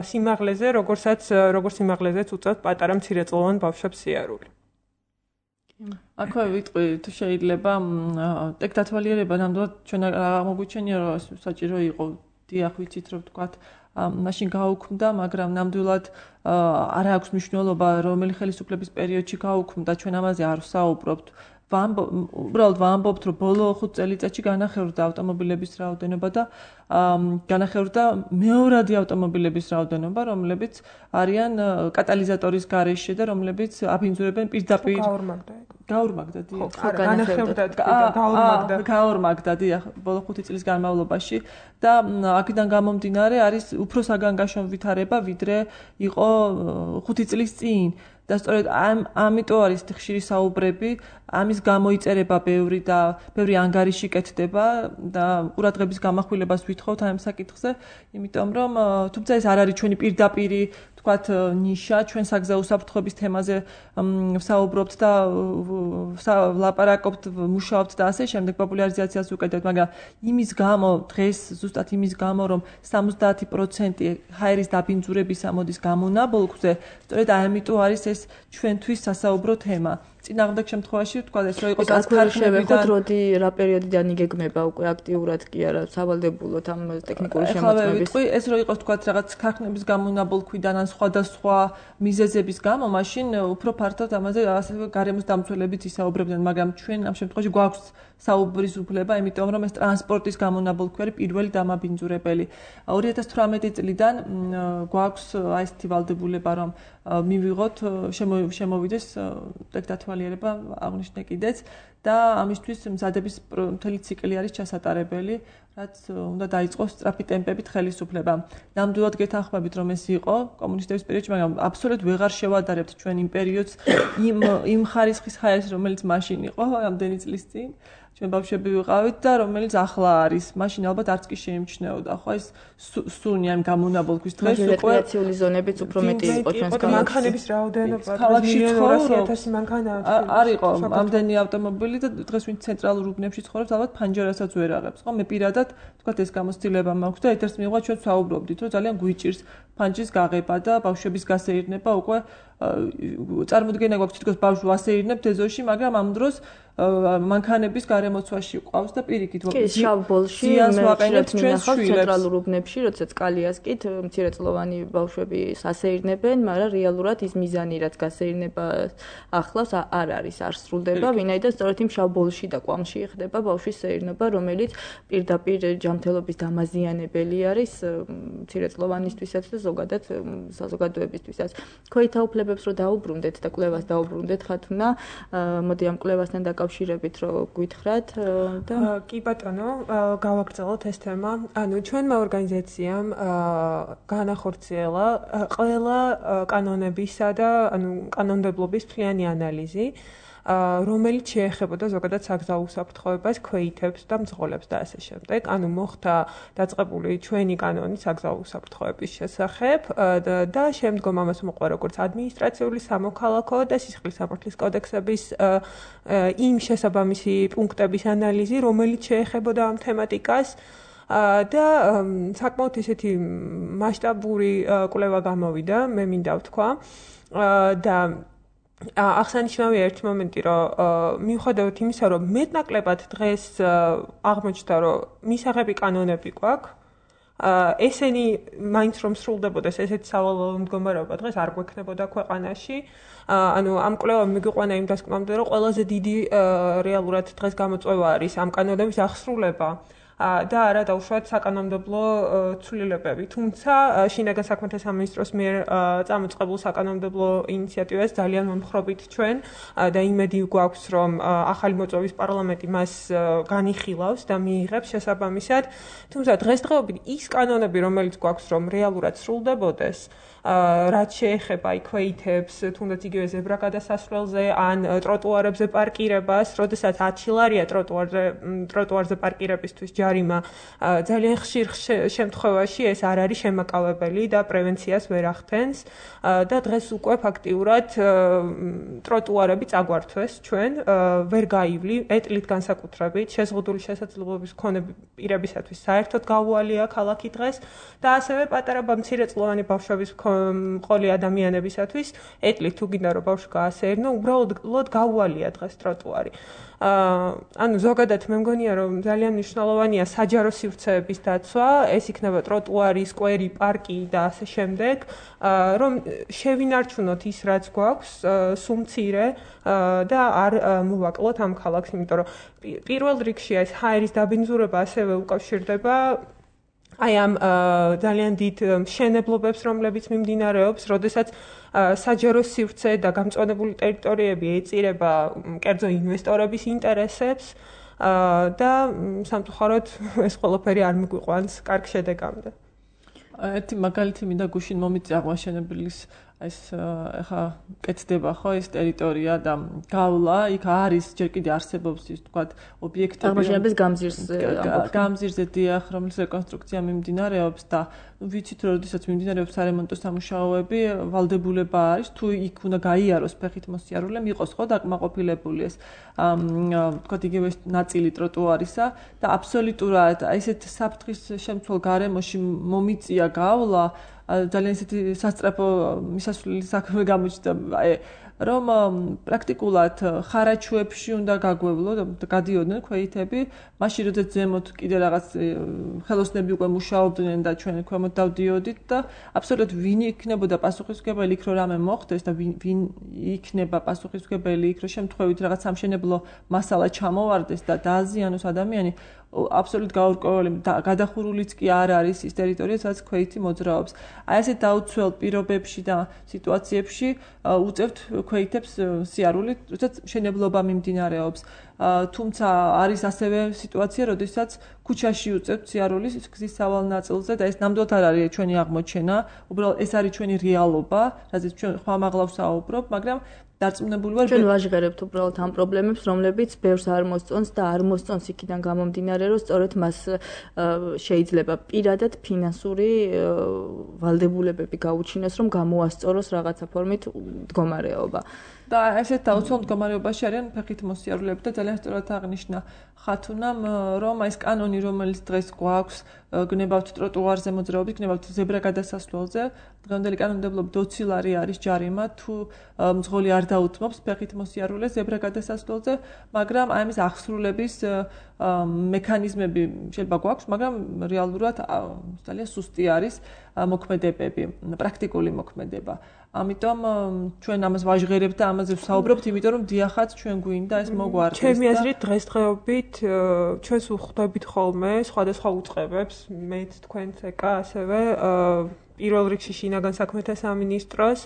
სიმაღლეზე, როგორცაც როგორ სიმაღლეზეც უწევთ პატარა მცირეწლოვან ბავშვებს სიარული. აქვე ვიტყვი თუ შეიძლება ტექ დათვალიერება ნამდვილად ჩვენ აღმოგვიჩენია რომ საჭირო იყო დიახ ვიცით რომ თქვათ მაშინ გაუქმდა მაგრამ ნამდვილად არ აქვს მნიშვნელობა რომელი ხელისუფლების პერიოდში გაუქმდა ჩვენ ამაზე არ ვსაუბრობთ უბრალოდ ვამბობთ რომ ბოლო ხუთ წელიწადში განახევრდა ავტომობილების რაოდენობა და განახევრდა მეორადი ავტომობილების რაოდენობა რომლებიც არიან კატალიზატორის გარეშე და რომლებიც აბინძურებენ პირდაპირ გაორმაგდა დიახ განახევრდა გაორმაგდა გაორმაგდა დიახ ბოლო ხუთი წლის განმავლობაში და აქედან გამომდინარე არის უფრო საგანგაშო ვითარება ვიდრე იყო ხუთი წლის წინ და სწორედ ამ ამიტომ არის ხშირი საუბრები, ამის გამოიწერება ბევრი და ბევრი ანგარიში კეთდება და ყურადღების გამახვილებას ვითხოვთ ამ საკითხზე, იმიტომ რომ თუმცა ეს არ არის ჩვენი პირდაპირი, თქვათ, ნიშა, ჩვენ საგზაო უსაფრთხოების თემაზე ვსაუბრობთ და ლაპარაკობთ, მუშაობთ და ასე შემდეგ პოპულარიზაციას უკეთებთ, მაგრამ იმის გამო დღეს ზუსტად იმის გამო რომ სამოცდაათი პროცენტი ჰაერის დაბინძურების ამოდის გამონაბოლქვზე, სწორედ ამიტომ არის ეს ჩვენთვის სასაუბრო თემა. წინააღმდეგ შემთხვევაში თქვა ეს რომ იყოს ასქარშევეხოთ როდი რა პერიოდიდან იგეგმება უკვე აქტიურად კი არა სავალდებულოთ ამ ტექნიკური შემოწმების. ეხლა ეს რომ იყოს თქვა რაღაც ქარხნების გამონაბოლქვიდან ან სხვადასხვა მიზეზების გამო, მაშინ უფრო ფართოდ ამაზე ასევე გარემოს დამცველებით ისაუბრებდნენ, მაგრამ ჩვენ ამ შემთხვევაში გვაქვს საუბრის უფლება, იმიტომ რომ ეს ტრანსპორტის გამონაბოლქვი არის პირველი დამაბინძურებელი. ორი ათას თვრამეტი წლიდან გვაქვს აი ესეთი ვალდებულება, რომ მივიღოთ შემოვიდეს ტექდათვალიერება აღნიშნე კიდეც და ამისთვის მზადების მთელი ციკლი არის ჩასატარებელი, რაც უნდა დაიწყოს სწრაფი ტემპებით ხელისუფლება. ნამდვილად გეთანხმებით, რომ ეს იყო კომუნისტების პერიოდში, მაგრამ აბსოლუტურად ვეღარ შევადარებთ ჩვენ იმ პერიოდს იმ იმ ხარისხის ჰაერს, რომელიც მაშინ იყო, ამდენი წლის წინ. ჩვენ ბავშვები ვიყავით და რომელიც ახლა არის. მაშინ ალბათ არც კი შეიმჩნეოდა. ხო ეს სუნი ამ გამონაბოლქვის დღეს უკვე რეკრეაციული ზონებიც უფრო მეტი იყო ჩვენს ქალაქში. მანქანების რაოდენობა ქალაქში ცხოვრობს მანქანა არ იყო ამდენი ავტომობილი და დღეს ვინც ცენტრალურ უბნებში ცხოვრობს, ალბათ ფანჯარასაც ვერ აღებს. ხო მე პირადად თქვათ ეს გამოცდილება მაქვს და ეთერს მიღვა ჩვენ საუბრობდით, რომ ძალიან გვიჭირს ფანჯრის გაღება და ბავშვების გასეირნება უკვე წარმოდგენა გვაქვს თითქოს ბავშვს ვასეირნებთ ეზოში, მაგრამ ამ დროს მანქანების გარემოცვაში ყავს და პირიქით კი შავბოლში ვაყენებთ ჩვენს შვილებს ცენტრალურ უბნებში, როდესაც კალიას კი მცირეწლოვანი ბავშვები სასეირნებენ, მაგრამ რეალურად ის მიზანი რაც გასეირნება ახლავს არ არის, არ სრულდება, ვინაიდან სწორედ იმ შავბოლში და კვამში ხდება ბავშვის სეირნობა, რომელიც პირდაპირ ჯანმრთელობის დამაზიანებელი არის მცირეწლოვანისთვისაც და ზოგადად საზოგადოებისთვისაც. ქვეითთა უფლებებს რო დაუბრუნდეთ და კვლევას დაუბრუნდეთ, ხათუნა, მოდი ამ კვლევასთან დაკავშირებით რო გვითხრათ და კი ბატონო, გავაგრძელოთ ეს თემა. ანუ ჩვენმა ორგანიზაციამ განახორციელა ყველა კანონებისა და ანუ კანონმდებლობის მთლიანი ანალიზი, რომელიც შეეხებოდა ზოგადად საგზაო უსაფრთხოებას, ქვეითებს და მძღოლებს და ასე შემდეგ. ანუ მოხდა დაწყებული ჩვენი კანონი საგზაო უსაფრთხოების შესახებ და შემდგომ ამას მოყვა როგორც ადმინისტრაციული, სამოქალაქო და სისხლის სამართლის კოდექსების იმ შესაბამისი პუნქტების ანალიზი, რომელიც შეეხებოდა ამ თემატიკას და საკმაოდ ისეთი მასშტაბური კვლევა გამოვიდა, მე მინდა ვთქვა და აღსანიშნავია ერთ მომენტი, რომ მიუხედავად იმისა, რომ მეტნაკლებად დღეს აღმოჩნდა, რომ მისაღები კანონები გვაქვს, ესენი მაინც რომ სრულდებოდეს ესეთი სავალალო მდგომარეობა დღეს არ გვექნებოდა ქვეყანაში. ანუ ამ კვლევამ მიგიყვანა იმ დასკვნამდე, რომ ყველაზე დიდი რეალურად დღეს გამოწვევა არის ამ კანონების აღსრულება. და არა დაუშვათ საკანონმდებლო ცვლილებები. თუმცა შინაგან საქმეთა სამინისტროს მიერ წამოწყებულ საკანონმდებლო ინიციატივას ძალიან მომხრობით ჩვენ და იმედი გვაქვს, რომ ახალი მოწვევის პარლამენტი მას განიხილავს და მიიღებს შესაბამისად. თუმცა დღესდღეობით ის კანონები, რომელიც გვაქვს, რომ რეალურად სრულდებოდეს, რაც შეეხება ქვეითებს, თუნდაც იგივე ზებრა გადასასვლელზე ან ტროტუარებზე პარკირებას, როდესაც ათი ლარია ტროტუარზე ტროტუარზე პარკირებისთვის ჯარიმა, ძალიან ხშირ შემთხვევაში ეს არ არის შემაკავებელი და პრევენციას ვერ ახდენს და დღეს უკვე ფაქტიურად ტროტუარები წაგვართვეს ჩვენ, ვერ გაივლი, ეტლით განსაკუთრებით, შეზღუდული შესაძლებლობის მქონე პირებისათვის საერთოდ გაუვალია ქალაქი დღეს და ასევე პატარა მცირეწლოვანი ბავშვების მყოლი ადამიანებისათვის ეტლით თუ გინდა რომ ბავშვი გაასეირნო, უბრალოდ გაუვალია დღეს ტროტუარი. ანუ ზოგადად მე მგონია რომ ძალიან მნიშვნელოვანია საჯარო სივრცეების დაცვა, ეს იქნება ტროტუარი, სკვერი, პარკი და ასე შემდეგ, რომ შევინარჩუნოთ ის რაც გვაქვს, სულ მცირე და არ მოვაკლოთ ამ ქალაქს, იმიტომ რომ პირველ რიგში ეს ჰაერის დაბინძურება ასევე უკავშირდება აი ამ ძალიან დიდ მშენებლობებს, რომლებიც მიმდინარეობს, როდესაც საჯარო სივრცე და გამწვანებული ტერიტორიები ეწირება კერძო ინვესტორების ინტერესებს და სამწუხაროდ ეს ყველაფერი არ მიგვიყვანს კარგ შედეგამდე. ერთი მაგალითი მინდა გუშინ მომიწია აღმაშენებლის ეს ახლა კეთდება ხო ეს ტერიტორია და გავლა იქ არის ჯერ კიდე არსებობს ის თქვა ობიექტები აღმაშენების გამზირზე გამზირზე დიახ, რომლის რეკონსტრუქცია მიმდინარეობს და ვიცით რომ როდესაც მიმდინარეობს სარემონტო სამუშაოები, ვალდებულება არის თუ იქ უნდა გაიაროს ფეხით მოსიარულე, მიყოს ხო დაკმაყოფილებული ეს თქვა იგივე ნაწილი ტროტუარისა და აბსოლუტურად აი ესეთ საფრთხის შემცველ გარემოში მომიწია გავლა ძალიან ისეთი სასწრაფო მისასვლელი საქმე გამოჩნდა აი რომ პრაქტიკულად ხარაჩუებში უნდა გაგვევლო და გადიოდნენ ქვეითები, მაშინ როდესაც ზემოთ კიდე რაღაც ხელოსნები უკვე მუშაობდნენ და ჩვენ ქვემოთ დავდიოდით და აბსოლუტურად ვინ იქნებოდა პასუხისმგებელი იქ რომ რამე მოხდეს და ვინ იქნება პასუხისმგებელი იქ რომ შემთხვევით რაღაც სამშენებლო მასალა ჩამოვარდეს და დააზიანოს ადამიანი აბსოლუტ გაურკვეველი გადახურულიც კი არ არის ის ტერიტორია, სადაც ქვეითი მოძრაობს. აი ესე დაუცველ პირობებში და სიტუაციებში უწევთ ქვეითებს სიარული, როდესაც მშენებლობა მიმდინარეობს. თუმცა არის ასევე სიტუაცია, როდესაც ქუჩაში უწევთ სიარულის გზის სავალ ნაწილზე და ეს ნამდვილად არ არის ჩვენი აღმოჩენა, უბრალოდ ეს არის ჩვენი რეალობა, რაზეც ჩვენ ხმამაღლა ვსაუბრობ, მაგრამ დარწმუნებული ვარ ჩვენ ვაჟღერებთ უბრალოდ ამ პრობლემებს, რომლებიც ბევრს არ მოსწონს და არ მოსწონს იქიდან გამომდინარე, რომ სწორედ მას შეიძლება პირადად ფინანსური ვალდებულებები გაუჩინოს, რომ გამოასწოროს რაღაცა ფორმით მდგომარეობა. და ესეთ დაუცველ მდგომარეობაში არიან ფეხით მოსიარულეები და ძალიან სწორად აღნიშნა ხათუნამ, რომ ეს კანონი, რომელიც დღეს გვაქვს, გნებავთ ტროტუარზე მოძრაობით, გნებავთ ზებრა გადასასვლელზე, დღევანდელი კანონმდებლობით დოცილარი არის ჯარიმა, თუ მძღოლი არ დაუთმობს ფეხით მოსიარულეს ზებრა გადასასვლელზე, მაგრამ აი ამის აღსრულების მექანიზმები შეიძლება გვაქვს, მაგრამ რეალურად ძალიან სუსტი არის მოქმედებები, პრაქტიკული მოქმედება. ამიტომ ჩვენ ამას ვაჟღერებთ და ამაზე ვსაუბრობთ, იმიტომ რომ დიახაც ჩვენ გვინდა ეს მოგვარდეს. ჩემი აზრით დღესდღეობით ჩვენს უხდებით ხოლმე სხვადასხვა უწყებებს, მეც თქვენც ეკა ასევე პირველ რიგში შინაგან საქმეთა სამინისტროს,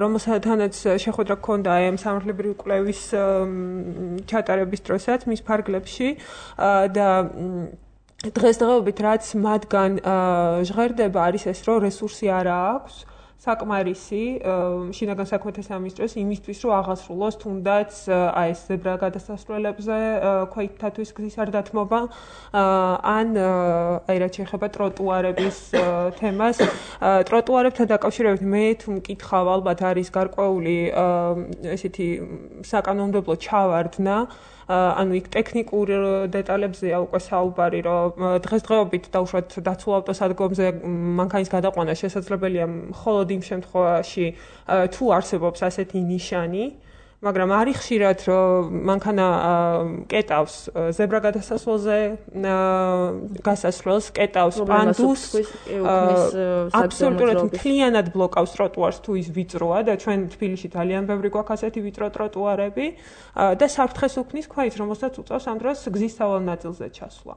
რომელთანაც შეხვედრა გქონდა აი ამ სამართლებრივი კვლევის ჩატარების დროსაც მის ფარგლებში და დღესდღეობით რაც მათგან ჟღერდება არის ეს, რომ რესურსი არ აქვს საკმარისი შინაგან საქმეთა სამინისტროს იმისთვის, რომ აღასრულოს თუნდაც აი ეს ზებრა გადასასვლელებზე ქვეითთათვის გზის არ დათმობა, ან აი რაც შეეხება ტროტუარების თემას. ტროტუარებთან დაკავშირებით მე თუ მკითხავ, ალბათ არის გარკვეული ესეთი საკანონმდებლო ჩავარდნა, ანუ იქ ტექნიკურ დეტალებზეა უკვე საუბარი, რომ დღესდღეობით დაუშვათ დაცულ ავტოსადგომზე მანქანის გადაყვანა შესაძლებელია მხოლოდ იმ შემთხვევაში, თუ არსებობს ასეთი ნიშანი, მაგრამ არის ხშირად, რომ მანქანა კეტავს ზებრა გადასასვლელზე გასასვლელს, კეტავს პანდუს, აბსოლუტურად მთლიანად ბლოკავს ტროტუარს თუ ის ვიწროა და ჩვენ თბილისში ძალიან ბევრი გვაქვს ასეთი ვიწრო ტროტუარები და საფრთხეს უქმნის ქვით, რომელსაც უწევს ამ დროს გზის სავალ ნაწილზე ჩასვლა.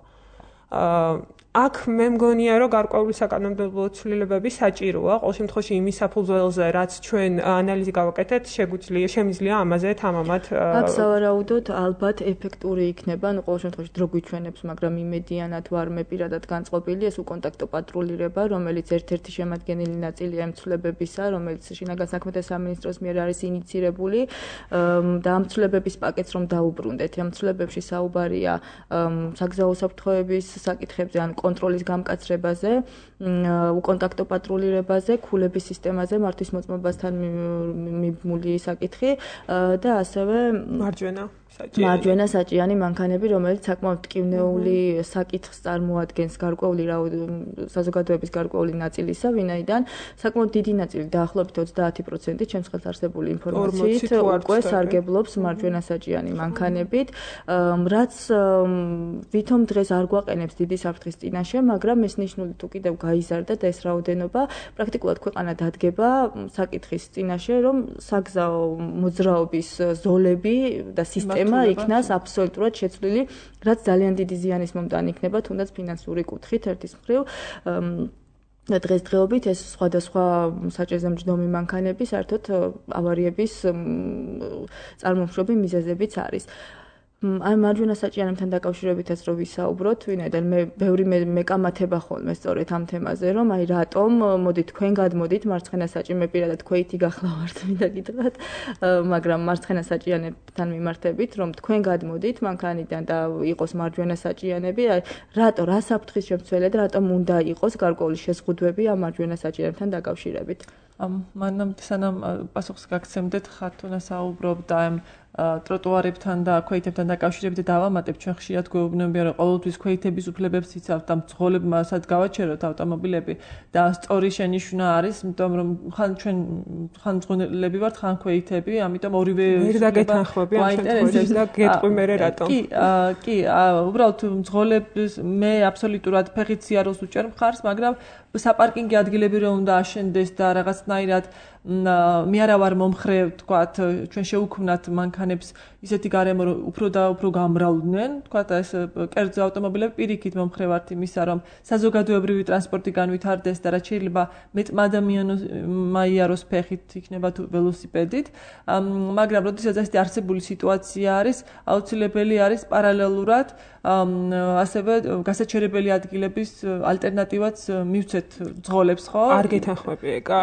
აქ მე მგონია, რომ გარკვეული საკანონმდებლო ცვლილებები საჭიროა, ყოველ შემთხვევაში იმის საფუძველზე, რაც ჩვენ ანალიზი გავაკეთეთ, შეგვიძლია, შემიძლია ამაზე თამამად. აქ სავარაუდოდ ალბათ ეფექტური იქნება, ну, ყოველ შემთხვევაში დრო გვიჩვენებს, მაგრამ იმედიანად ვარ მე პირადად განწყობილი, ეს უკონტაქტო პატრულირება, რომელიც ერთ-ერთი შემადგენელი ნაწილია ამ ცვლილებებისა, რომელიც შინაგან საქმეთა სამინისტროს მიერ არის ინიცირებული და ამ ცვლილებების პაკეტს რომ დაუბრუნდეთ. ამ ცვლილებებში საუბარია საგზაო საფრთხეების საკითხებზე, ან კონტროლის გამკაცრებაზე, უკონტაქტო პატრულირებაზე, ქულების სისტემაზე, მართვის მოწმობასთან მიბმული საკითხი და ასევე მარჯვენა მარჯვენა საჭიანი მანქანები, რომელიც საკმაოდ ტკივნეული საკითხს წარმოადგენს გარკვეული საზოგადოების გარკვეული ნაწილისა, ვინაიდან საკმაოდ დიდი ნაწილი დაახლოებით ოცდაათი პროცენტი ჩემს ხელს არსებული ინფორმაციით უკვე სარგებლობს მარჯვენა საჭიანი მანქანებით, რაც ვითომ დღეს არ გვაყენებს დიდი საფრთხის წინაშე, მაგრამ ეს ნიშნული თუ კიდევ გაიზარდა და ეს რაოდენობა პრაქტიკულად ქვეყანა დადგება საკითხის წინაშე, რომ საგზაო მოძრაობის ზოლები და სისტემა იქნას აბსოლუტურად შეცვლილი, რაც ძალიან დიდი ზიანის მომტანი იქნება, თუნდაც ფინანსური კუთხით ერთის მხრივ. დღესდღეობით ეს სხვადასხვა საჭირზე მჯდომი მანქანები საერთოდ ავარიების წარმომშრომი მიზეზებიც არის. აი მარჯვენა საჭიანებთან დაკავშირებითაც რო ვისაუბროთ, ვინაიდან მე ბევრი მეკამათება ხოლმე სწორედ ამ თემაზე, რომ აი რატომ მოდი თქვენ გადმოდით მარცხენა საჭიე პირადად ქვეითი გახლავართ, მინდა გითხრათ, მაგრამ მარცხენა საჭიანებთან მიმართებით, რომ თქვენ გადმოდით მანქანიდან და იყოს მარჯვენა საჭიანები, აი რატო რა საფრთხის შემცველად, რატომ უნდა იყოს გარკვეული შეზღუდვები ამ მარჯვენა საჭიანებთან დაკავშირებით? მანამ სანამ პასუხს გაგცემდეთ, ხათუნა საუბრობდა ამ ტროტუარებთან და ქვეითებთან დაკავშირებით დავამატებ, ჩვენ ხშირად გვეუბნებიან, რომ ყოველთვის ქვეითების უფლებებს იცავთ და მძღოლებმასაც გავაჩეროთ ავტომობილები და სწორი შენიშვნა არის, იმიტომ რომ ხან ჩვენ ხან მძღოლები ვართ, ხან ქვეითები, ამიტომ ორივე ვერ დაგეთანხმები ამ შემთხვევაში და გეტყვი მე რატომ. კი, კი, უბრალოდ მძღოლებს მე აბსოლუტურად ფეხით სიარულს უჭერ მხარს, მაგრამ საპარკინგი ადგილები რომ უნდა აშენდეს და რაღაცნაირად მე არა ვარ მომხრე, თქვათ, ჩვენ შევუქმნათ მანქანებს ისეთი გარემო, რომ უფრო და უფრო გამრავლდნენ, თქვათ, ეს კერძო ავტომობილები პირიქით მომხრე ვართ იმისა, რომ საზოგადოებრივი ტრანსპორტი განვითარდეს და რაც შეიძლება მეტმა ადამიანს მაიაროს ფეხით, იქნება თუ ველოსიპედით, მაგრამ როდესაც ესეთი არსებული სიტუაცია არის, აუცილებელი არის პარალელურად ასევე გასაჩერებელი ადგილების ალტერნატივაც მივცეთ მძღოლებს, ხო? არ გეთანხმები ეკა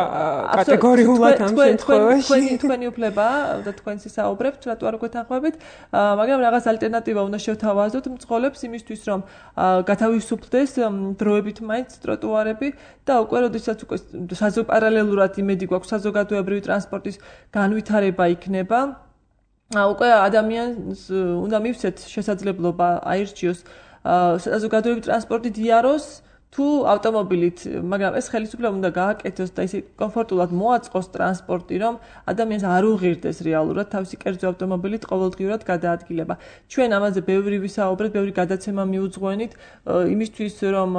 კატეგორიულად ამ შემთხვევაში. თქვენი თქვენი უფლებაა და თქვენს ისაუბრებთ, რატო არ გეთანხმებით, მაგრამ რაღაც ალტერნატივა უნდა შევთავაზოთ მძღოლებს იმისთვის, რომ გათავისუფლდეს დროებით მაინც ტროტუარები და უკვე როდესაც უკვე საზოპარალელურად იმედი გვაქვს საზოგადოებრივი ტრანსპორტის განვითარება იქნება. უკვე ადამიანს უნდა მივცეთ შესაძლებლობა აირჩიოს საზოგადოებრივი ტრანსპორტით იაროს თუ ავტომობილით, მაგრამ ეს ხელისუფლება უნდა გააკეთოს და ისე კომფორტულად მოაწყოს ტრანსპორტი, რომ ადამიანს არ უღირდეს რეალურად თავისი კერძო ავტომობილით ყოველდღიურად გადაადგილება. ჩვენ ამაზე ბევრი ვისაუბრეთ, ბევრი გადაცემა მიუძღვენით იმისთვის, რომ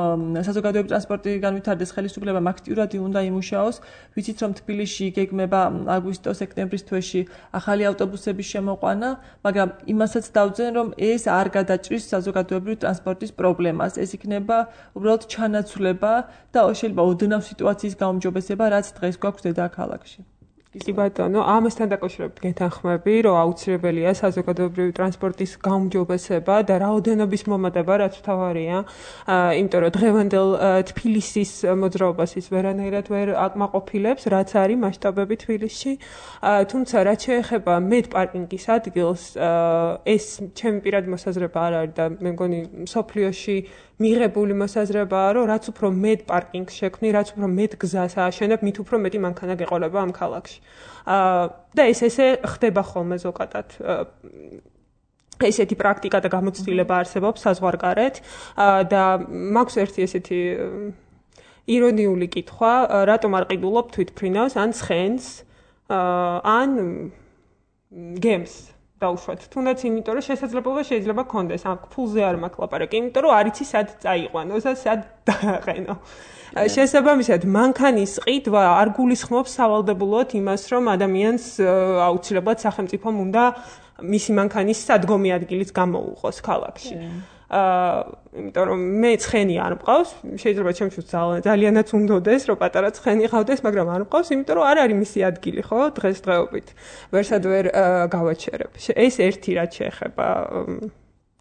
საზოგადოებრივი ტრანსპორტი განვითარდეს, ხელისუფლებამ აქტიურად უნდა იმუშაოს. ვიცით, რომ თბილისში გეგმება აგვისტო-სექტემბრის თვეში ახალი ავტობუსების შემოყვანა, მაგრამ იმასაც დავძენ, რომ ეს არ გადაჭრის საზოგადოებრივი ტრანსპორტის პრობლემას. ეს იქნება უბრალოდ ჩანაცვლება და შეიძლება ოდნავ სიტუაციის გაუმჯობესება, რაც დღეს გვაქვს დედაქალაქში. კი ბატონო, ამასთან დაკავშირებით გეთანხმები, რომ აუცილებელია საზოგადოებრივი ტრანსპორტის გაუმჯობესება და რაოდენობის მომატება, რაც მთავარია, იმიტომ რომ დღევანდელ თბილისის მოძრაობას ის ვერანაირად ვერ აკმაყოფილებს, რაც არის მასშტაბები თბილისში. თუმცა რაც შეეხება მეტ პარკინგის ადგილს, ეს ჩემი პირადი მოსაზრება არ არის და მე მგონი მსოფლიოში მიღებული მოსაზრებაა, რომ რაც უფრო მეტ პარკინგს შექმნი, რაც უფრო მეტ გზას ააშენებ, მით უფრო მეტი მანქანა გეყოლება ამ ქალაქში. და ეს ესე ხდება ხოლმე ზოგადად. ესეთი პრაქტიკა და გამოცდილება არსებობს საზღვარგარეთ და მაქვს ერთი ესეთი ირონიული კითხვა, რატომ არ ყიდულობ თვითმფრინავს ან ცხენს ან გემს დაუშვათ. თუნდაც იმიტომ, რომ შესაძლებლობა შეიძლება გქონდეს, ამ ფულზე არ მაქვს ლაპარაკი, იმიტომ რომ არ იცი სად წაიყვანო და სად დააყენო. შესაბამისად, მანქანის ყიდვა არ გულისხმობს სავალდებულოდ იმას, რომ ადამიანს აუცილებლად სახელმწიფომ უნდა მისი მანქანის სადგომი ადგილიც გამოუყოს ქალაქში. აა, იმიტომ რომ მე ცხენი არ მყავს, შეიძლება ჩემთვის ძალიანაც უნდოდეს, რომ პატარა ცხენი ყავდეს, მაგრამ არ მყავს, იმიტომ რომ არ არის მისი ადგილი, ხო, დღესდღეობით. ვერსად ვერ გავაჩერებ. ეს ერთი რაც შეეხება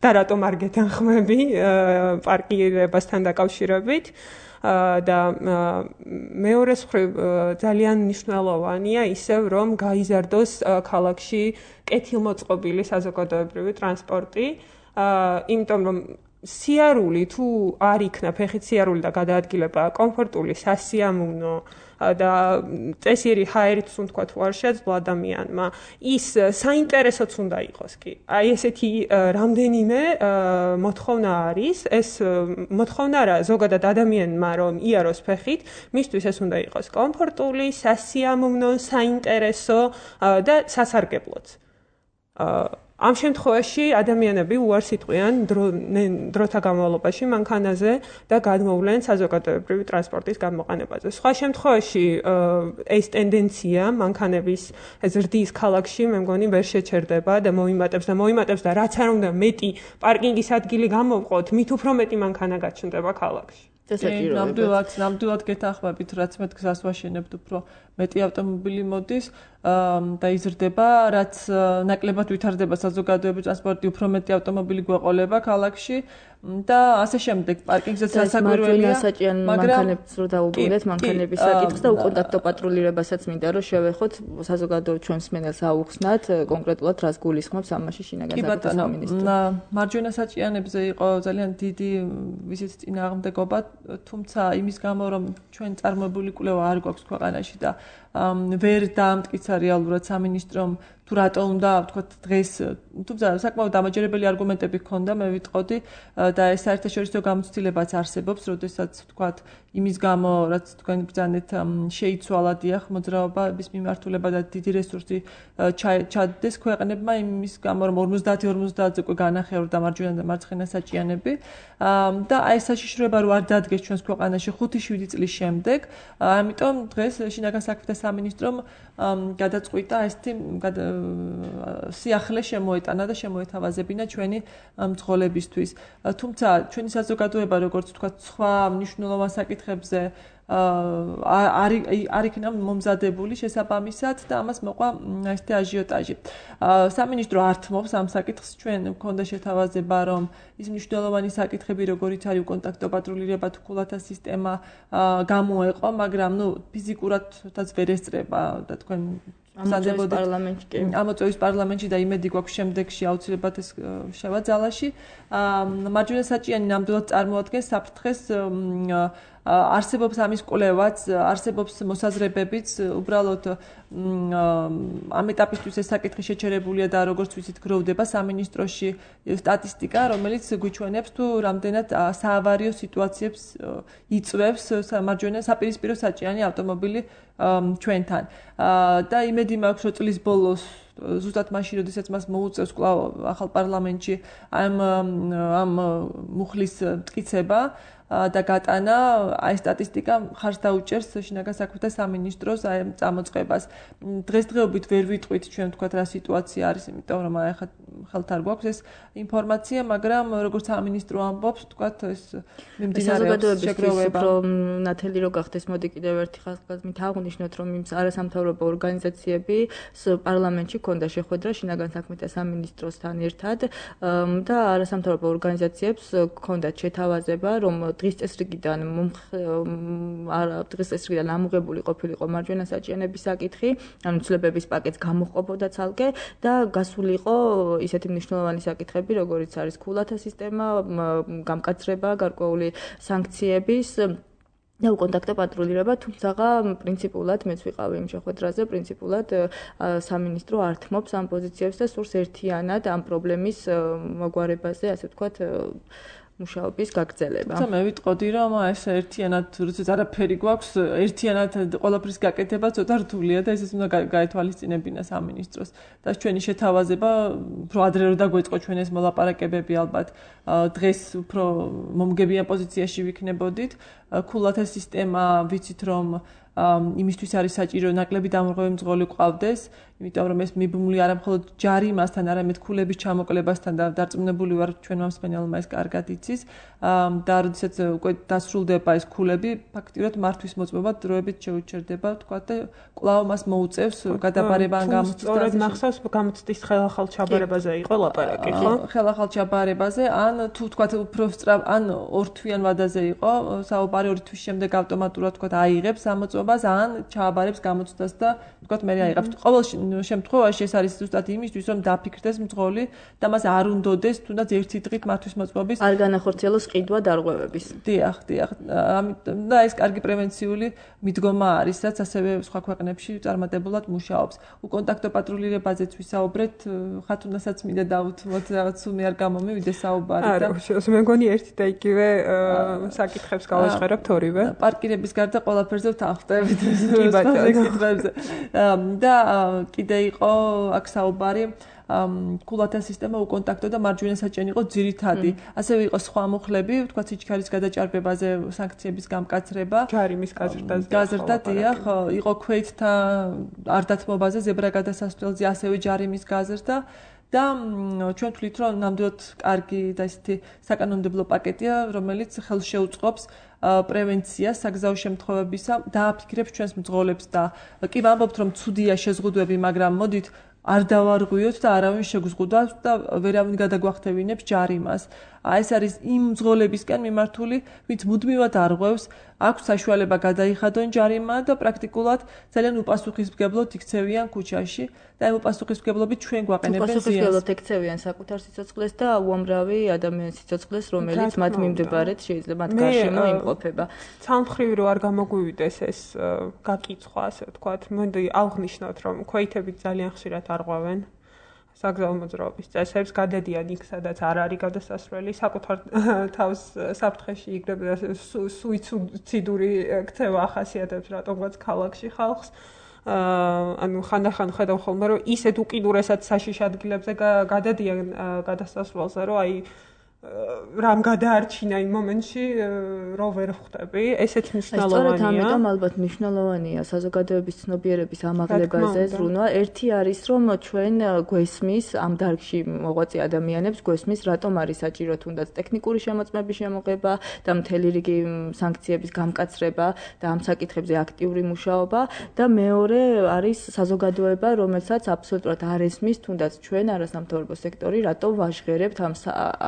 და რატომ არ გეთანხმები პარკირებასთან დაკავშირებით. და მეორე მხრივ ძალიან მნიშვნელოვანია ისევ რომ გაიზარდოს ქალაქში კეთილმოწყობილი საზოგადოებრივი ტრანსპორტი, იმიტომ რომ სიარული თუ არ იქნა ფეხით სიარული და გადაადგილება კომფორტული სასიამოვნო და წესიერი ჰაერიც თქვა თუ არ შეძლო ადამიანმა, ის საინტერესოც უნდა იყოს კი. აი ესეთი რამდენიმე მოთხოვნა არის, ეს მოთხოვნა რა ზოგადად ადამიანმა რომ იაროს ფეხით, მისთვის ეს უნდა იყოს კომფორტული, სასიამოვნო, საინტერესო და სასარგებლოც. ამ შემთხვევაში ადამიანები უარს იტყვიან დროთა განმავლობაში მანქანაზე და გადმოვლენ საზოგადოებრივი ტრანსპორტის გამოყენებაზე. სხვა შემთხვევაში ეს ტენდენცია მანქანების ზრდის ქალაქში მე მგონი ვერ შეჩერდება და მოიმატებს და მოიმატებს და რაც არ უნდა მეტი პარკინგის ადგილი გამოვყოთ, მით უფრო მეტი მანქანა გაჩნდება ქალაქში. დასაჭიროება. ნამდვილად, ნამდვილად გეთანხმებით, რაც მე გზას ვაშენებთ, უფრო მეტი ავტომობილი მოდის და იზრდება, რაც ნაკლებად ვითარდება საზოგადოებრივი ტრანსპორტი, უფრო მეტი ავტომობილი გვეყოლება ქალაქში და ასე შემდეგ. პარკინგზეც სასაკვირველია, მაგრამ მანქანებს რო დაუბრუნდეთ, მანქანების საკითხს და უკონტაქტო პატრულირებასაც მინდა რომ შევეხოთ საზოგადოებრივ ჩვენს მსმენელს აუხსნათ კონკრეტულად რას გულისხმობს ამაში შინაგან საქმეთა სამინისტრო. მარჯვენა საჭიანებზე იყო ძალიან დიდი ვიზით წინააღმდეგობა, თუმცა იმის გამო რომ ჩვენ წარმოებული კვლევა არ გვაქვს ქვეყანაში და ვერ დაამტკიცა რეალურად სამინისტრომ თუ რატო უნდა ვთქვათ დღეს თუმცა საკმაოდ დამაჯერებელი არგუმენტები ჰქონდა მე ვიტყოდი და ეს საერთაშორისო გამოცდილებაც არსებობს როდესაც ვთქვათ იმის გამო რაც თქვენ ბრძანეთ შეიცვალა დიახ მოძრაობის მიმართულება და დიდი რესურსი ჩადდეს ქვეყნებმა იმის გამო რომ ორმოცდაათი ორმოცდაათზე უკვე განახევრდა მარჯვენა და მარცხენა საჭიანები და აი საშიშროება რო არ დადგეს ჩვენს ქვეყანაში ხუთი შვიდი წლის შემდეგ ამიტომ დღეს შინაგან საქმეთა სამინისტრომ გადაწყვიტა ესეთი სიახლე შემოეტანა და შემოეთავაზებინა ჩვენი მძღოლებისთვის. თუმცა ჩვენი საზოგადოება როგორც ვთქვათ სხვა მნიშვნელოვან საკითხებზე არ არ იქნა მომზადებული შესაბამისად და ამას მოყვა ესეთი აჟიოტაჟი. სამინისტრო ართმობს ამ საკითხს ჩვენ მქონდა შეთავაზება რომ ის მნიშვნელოვანი საკითხები როგორიც არის კონტაქტო პატრულირება თუ ქულათა სისტემა გამოეყო, მაგრამ ნუ ფიზიკურადაც ვერ ესწრება და თქვენ ამოწევის პარლამენტში კი ამოწევის პარლამენტში და იმედი გვაქვს შემდეგში აუცილებლად ეს შევა ძალაში. მარჯვენა საჭიანი ნამდვილად წარმოადგენს საფრთხეს არსებობს ამის კვლევაც, არსებობს მოსაზრებებიც, უბრალოდ ამ ეტაპისთვის ეს საკითხი შეჩერებულია და როგორც ვიცით გროვდება სამინისტროში სტატისტიკა, რომელიც გვიჩვენებს თუ რამდენად საავარიო სიტუაციებს იწვევს მარჯვენა საპირისპირო საჭიანი ავტომობილი ჩვენთან. და იმედი მაქვს რომ წლის ბოლოს ზუსტად მაშინ როდესაც მას მოუწევს კვლავ ახალ პარლამენტში ამ ამ მუხლის მტკიცება და გატანა აი სტატისტიკა ხარს დაუჭერს შინაგან საქმეთა სამინისტროს აი წამოწყებას. დღესდღეობით ვერ ვიტყვით ჩვენ თქვათ რა სიტუაცია არის, იმიტომ რომ აი ხა ხელთ არ გვაქვს ეს ინფორმაცია, მაგრამ როგორც სამინისტრო ამბობს, თქვათ ეს მიმდინარეობს შეგროვება. რომ ნათელი რო გახდეს, მოდი კიდევ ერთი ხაზგასმით აღვნიშნოთ, რომ იმ არასამთავრობო ორგანიზაციები პარლამენტში ქონდა შეხვედრა შინაგან საქმეთა სამინისტროსთან ერთად და არასამთავრობო ორგანიზაციებს ქონდათ შეთავაზება, რომ დღის წესრიგიდან დღის წესრიგიდან ამოღებული ყოფილიყო მარჯვენა საჭიანების საკითხი, ანუ ცვლილებების პაკეტს გამოჰყოფოდა ცალკე და გასულიყო ისეთი მნიშვნელოვანი საკითხები, როგორიც არის ქულათა სისტემა, გამკაცრება, გარკვეული სანქციების და უკონტაქტო პატრულირება, თუმცა პრინციპულად მეც ვიყავი იმ შეხვედრაზე, პრინციპულად სამინისტრო ართმობს ამ პოზიციებს და სურს ერთიანად ამ პრობლემის მოგვარებაზე, ასე ვთქვათ, მუშაობის გაგრძელება. თუმცა მე ვიტყოდი რომ ეს ერთიანად როდესაც არაფერი გვაქვს, ერთიანად ყველაფრის გაკეთება ცოტა რთულია და ესეც უნდა გაეთვალისწინებინა სამინისტროს. და ჩვენი შეთავაზება უფრო ადრე რო დაგვეწყო ჩვენ ეს მოლაპარაკებები ალბათ დღეს უფრო მომგებიან პოზიციაში ვიქნებოდით. ქულათა სისტემა ვიცით რომ იმისთვის არის საჭირო ნაკლები დამრღვევი მძღოლი ყავდეს, იმიტომ რომ ეს მიბმული არა მხოლოდ ჯარიმასთან, არამედ ქულების ჩამოკლებასთან და დარწმუნებული ვარ ჩვენმა მსმენელმა ეს კარგად იცის და როდესაც უკვე დასრულდება ეს ქულები, ფაქტიურად მართვის მოწმობა დროებით შეუჩერდება, თქვა და კვლავ მას მოუწევს გადაბარება ან გამოცდის. სწორედ მახსოვს გამოცდის ხელახალ ჩაბარებაზე იყო ლაპარაკი, ხო? ხელახალ ჩაბარებაზე, ან თუ თქვა უფრო სწრაფ, ან ორთვიან ვადაზე იყო, საუბარი ორი თვის შემდეგ ავტომატურად თქვა აიღებს ამოწმობას, ან ჩააბარებს გამოცდას და თქვა მე აიღებს. ყოველ შემთხვევაში ეს არის ზუსტად იმისთვის, რომ დაფიქრდეს მძღოლი და მას არ უნდოდეს თუნდაც ერთი დღით მართვის მოწმობის არ განახორციელოს ყიდვა დარღვევების. დიახ, დიახ. ამიტომ და ეს კარგი პრევენციული მიდგომა არის, რაც ასევე სხვა ქვეყნებში წარმატებულად მუშაობს. უკონტაქტო პატრულირებაზეც ვისაუბრეთ, ხათუნასაც მინდა დავუთმოთ, რაღაც სულ მე არ გამომივიდეს საუბარი და არა, მე მგონი ერთი და იგივე საკითხებს გავაჟღერებთ ორივე. პარკირების გარდა ყველაფერზე ვთანხმდებით საკითხებზე. და კიდე იყო აქ საუბარი ქულათა სისტემა უკონტაქტო და მარჯვენა საჭიანი იყო ძირითადი. ასევე იყო სხვა მუხლები, თქვა სიჩქარის გადაჭარბებაზე სანქციების გამკაცრება, ჯარიმის გაზრდაზე. გაზრდა დიახ, იყო ქვეითთა არ დათმობაზე ზებრა გადასასვლელზე ასევე ჯარიმის გაზრდა და ჩვენ ვთვლით, რომ ნამდვილად კარგი და ისეთი საკანონმდებლო პაკეტია, რომელიც ხელს შეუწყობს პრევენციას საგზაო შემთხვევებისა, დააფიქრებს ჩვენს მძღოლებს და კი ვამბობთ, რომ ცუდია შეზღუდვები, მაგრამ მოდით არ დავარღვიოთ და არავინ შეგზღუდავს და ვერავინ გადაგვახტევინებს ჯარიმას. ეს არის იმ მძღოლებისკენ მიმართული, ვინც მუდმივად არღვევს, აქვს საშუალება გადაიხადონ ჯარიმა და პრაქტიკულად ძალიან უპასუხისმგებლოდ იქცევიან ქუჩაში და ამ უპასუხისმგებლობით ჩვენ გვაყენებენ ზიანს. უპასუხისმგებლოდ ექცევიან საკუთარ სიცოცხლეს და უამრავი ადამიანის სიცოცხლეს, რომელიც მათ მიმდებარედ შეიძლება მათ გარშემო იმყოფება. ცალმხრივი რო არ გამოგვივიდეს ეს გაკიცხვა, ასე ვთქვათ, მოდი აღნიშნოთ, რომ ქვეითები ძალიან ხშირად არღვევენ საგზაო მოძრაობის წესებს, გადადიან იქ, სადაც არ არის გადასასვლელი, საკუთარ თავს საფრთხეში იგდებდა სუიციდური ქცევა ახასიათებს რატომღაც ქალაქში ხალხს. ანუ ხანდახან ხედავ ხოლმე, რომ ისეთ უკიდურესად საშიში ადგილებზე გადადიან გადასასვლელზე, რომ აი რამ გადაარჩინა იმ მომენტში რო ვერ ხვდები, ესეც მნიშვნელოვანია. სწორედ ამიტომ ალბათ მნიშვნელოვანია საზოგადოების ცნობიერების ამაღლებაზე ზრუნვა. ერთი არის, რომ ჩვენ გვესმის ამ დარგში მოღვაწე ადამიანებს გვესმის, რატომ არის საჭირო თუნდაც ტექნიკური შემოწმების შემოღება და მთელი რიგი სანქციების გამკაცრება და ამ საკითხებზე აქტიური მუშაობა და მეორე არის საზოგადოება, რომელსაც აბსოლუტურად არ ესმის თუნდაც ჩვენ არასამთავრობო სექტორი, რატომ ვაჟღერებთ ამ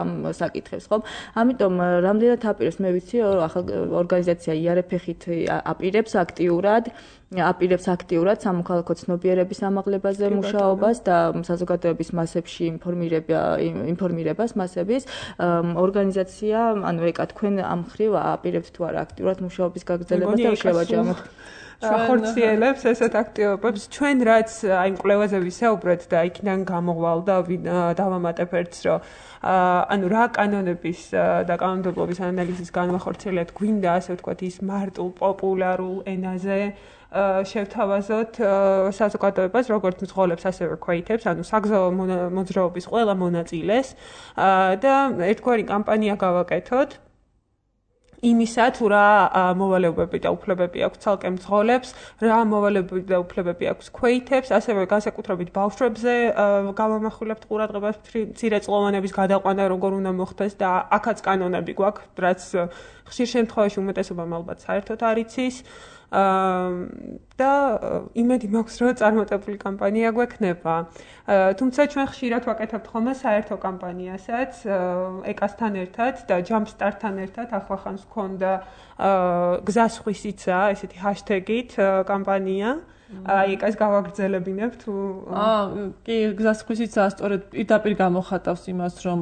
ამ საკითხებს, ხო? ამიტომ რამდენად აპირებს, მე ვიცი, ახალ ორგანიზაცია იარეფეხით აპირებს აქტიურად, აპირებს აქტიურად სამოქალაქო ცნობიერების ამაღლებაზე მუშაობას და საზოგადოების მასებში ინფორმირება ინფორმირებას მასების ორგანიზაცია, ანუ ეკა თქვენ ამ ხრივ აპირებთ თუ არა აქტიურად მუშაობის გაგრძელებას და შევაჯამოთ. ხორციელებს ესეთ აქტივობებს. ჩვენ რაც აი მკვლევაზე ვისაუბრეთ და იქიდან გამოვალდა დავამატებ ერთს, რომ ანუ რა კანონების და კანონმდებლობის ანალიზის განმახორციელებლად გვინდა, ასე ვთქვათ, ის მარტო პოპულარულ ენაზე შევთავაზოთ საზოგადოებას, როგორც მძღოლებს, ასევე ქვეითებს, ანუ საგზაო მოძრაობის ყველა მონაწილეს და ერთგვარი კამპანია გავაკეთოთ იმისა, თუ რა მოვალეობები და უფლებები აქვს ცალკე მძღოლებს, რა მოვალეობები და უფლებები აქვს ქვეითებს, ასევე განსაკუთრებით ბავშვებზე გავამახვილებთ ყურადღებას მცირეწლოვანების გადაყვანა როგორ უნდა მოხდეს და აქაც კანონები გვაქვს, რაც ხშირ შემთხვევაში უმეტესობამ ალბათ საერთოდ არ იცის. და იმედი მაქვს, რომ წარმატებული კამპანია გვექნება. თუმცა ჩვენ ხშირად ვაკეთებთ ხოლმე საერთო კამპანიასაც ეკასთან ერთად და ჯამპსტარტთან ერთად, ახლახანს გქონდა გზას ხვისიცა, ესეთი ჰაშტეგით კამპანია. აი ეკას გავაგრძელებინებ თუ აა კი გზას ხვისიცა სწორედ პირდაპირ გამოხატავს იმას, რომ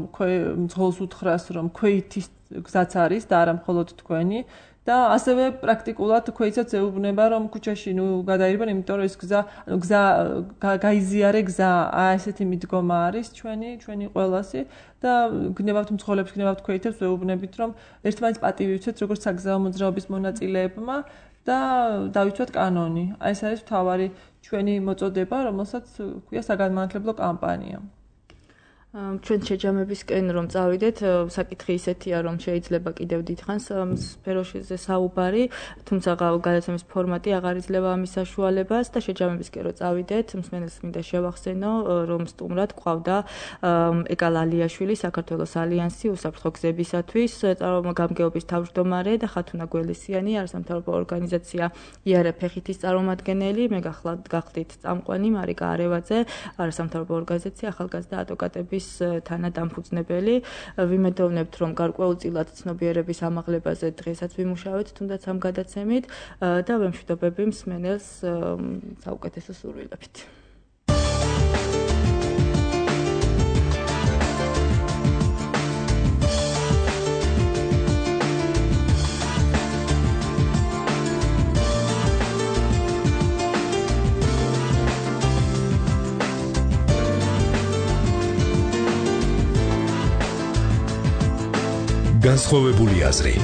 მძღოლს უთხრას, რომ ქვეითის გზაც არის და არა მხოლოდ თქვენი. და ასევე პრაქტიკულად ქვეითსაც ეუბნება, რომ ქუჩაში ნუ გადაირბენ, იმიტომ რომ ეს გზა, ანუ გზა გაიზიარე გზა, აი ესეთი მიდგომა არის ჩვენი, ჩვენი ყველასი და გნებავთ მძღოლებს, გნებავთ ქვეითებს, ეუბნებით, რომ ერთმანეთს პატივი ვიცეთ, როგორც საგზაო მოძრაობის მონაწილეებმა და დავითვათ კანონი. აი ეს არის მთავარი ჩვენი მოწოდება, რომელსაც ქვია საგანმანათლებლო კამპანია. ჩვენ შეჯამებისკენ რომ წავიდეთ, საკითხი ისეთია, რომ შეიძლება კიდევ დიდხანს სფეროშიზე საუბარი, თუმცა გადაცემის ფორმატი აღარ იძლევა ამის საშუალებას და შეჯამებისკენ რომ წავიდეთ, მსმენელს მინდა შევახსენო, რომ სტუმრად გვყავდა ეკა ლალიაშვილი, საქართველოს ალიანსი უსაფრთხო გზებისათვის წარმომადგენლობის თავმჯდომარე და ხათუნა გველესიანი, არასამთავრობო ორგანიზაცია იარეფეხითის წარმომადგენელი, მე გახლდით წამყვანი მარიკა არევაძე, არასამთავრობო ორგანიზაცია ახალგაზრდა ადვოკატების თანადამფუძნებელი. ვიმედოვნებთ, რომ გარკვეულწილად ცნობიერების ამაღლებაზე დღესაც ვიმუშავეთ, თუნდაც ამ გადაცემით და ვემშვიდობები მსმენელს საუკეთესო სურვილებით. განსხვავებული აზრი.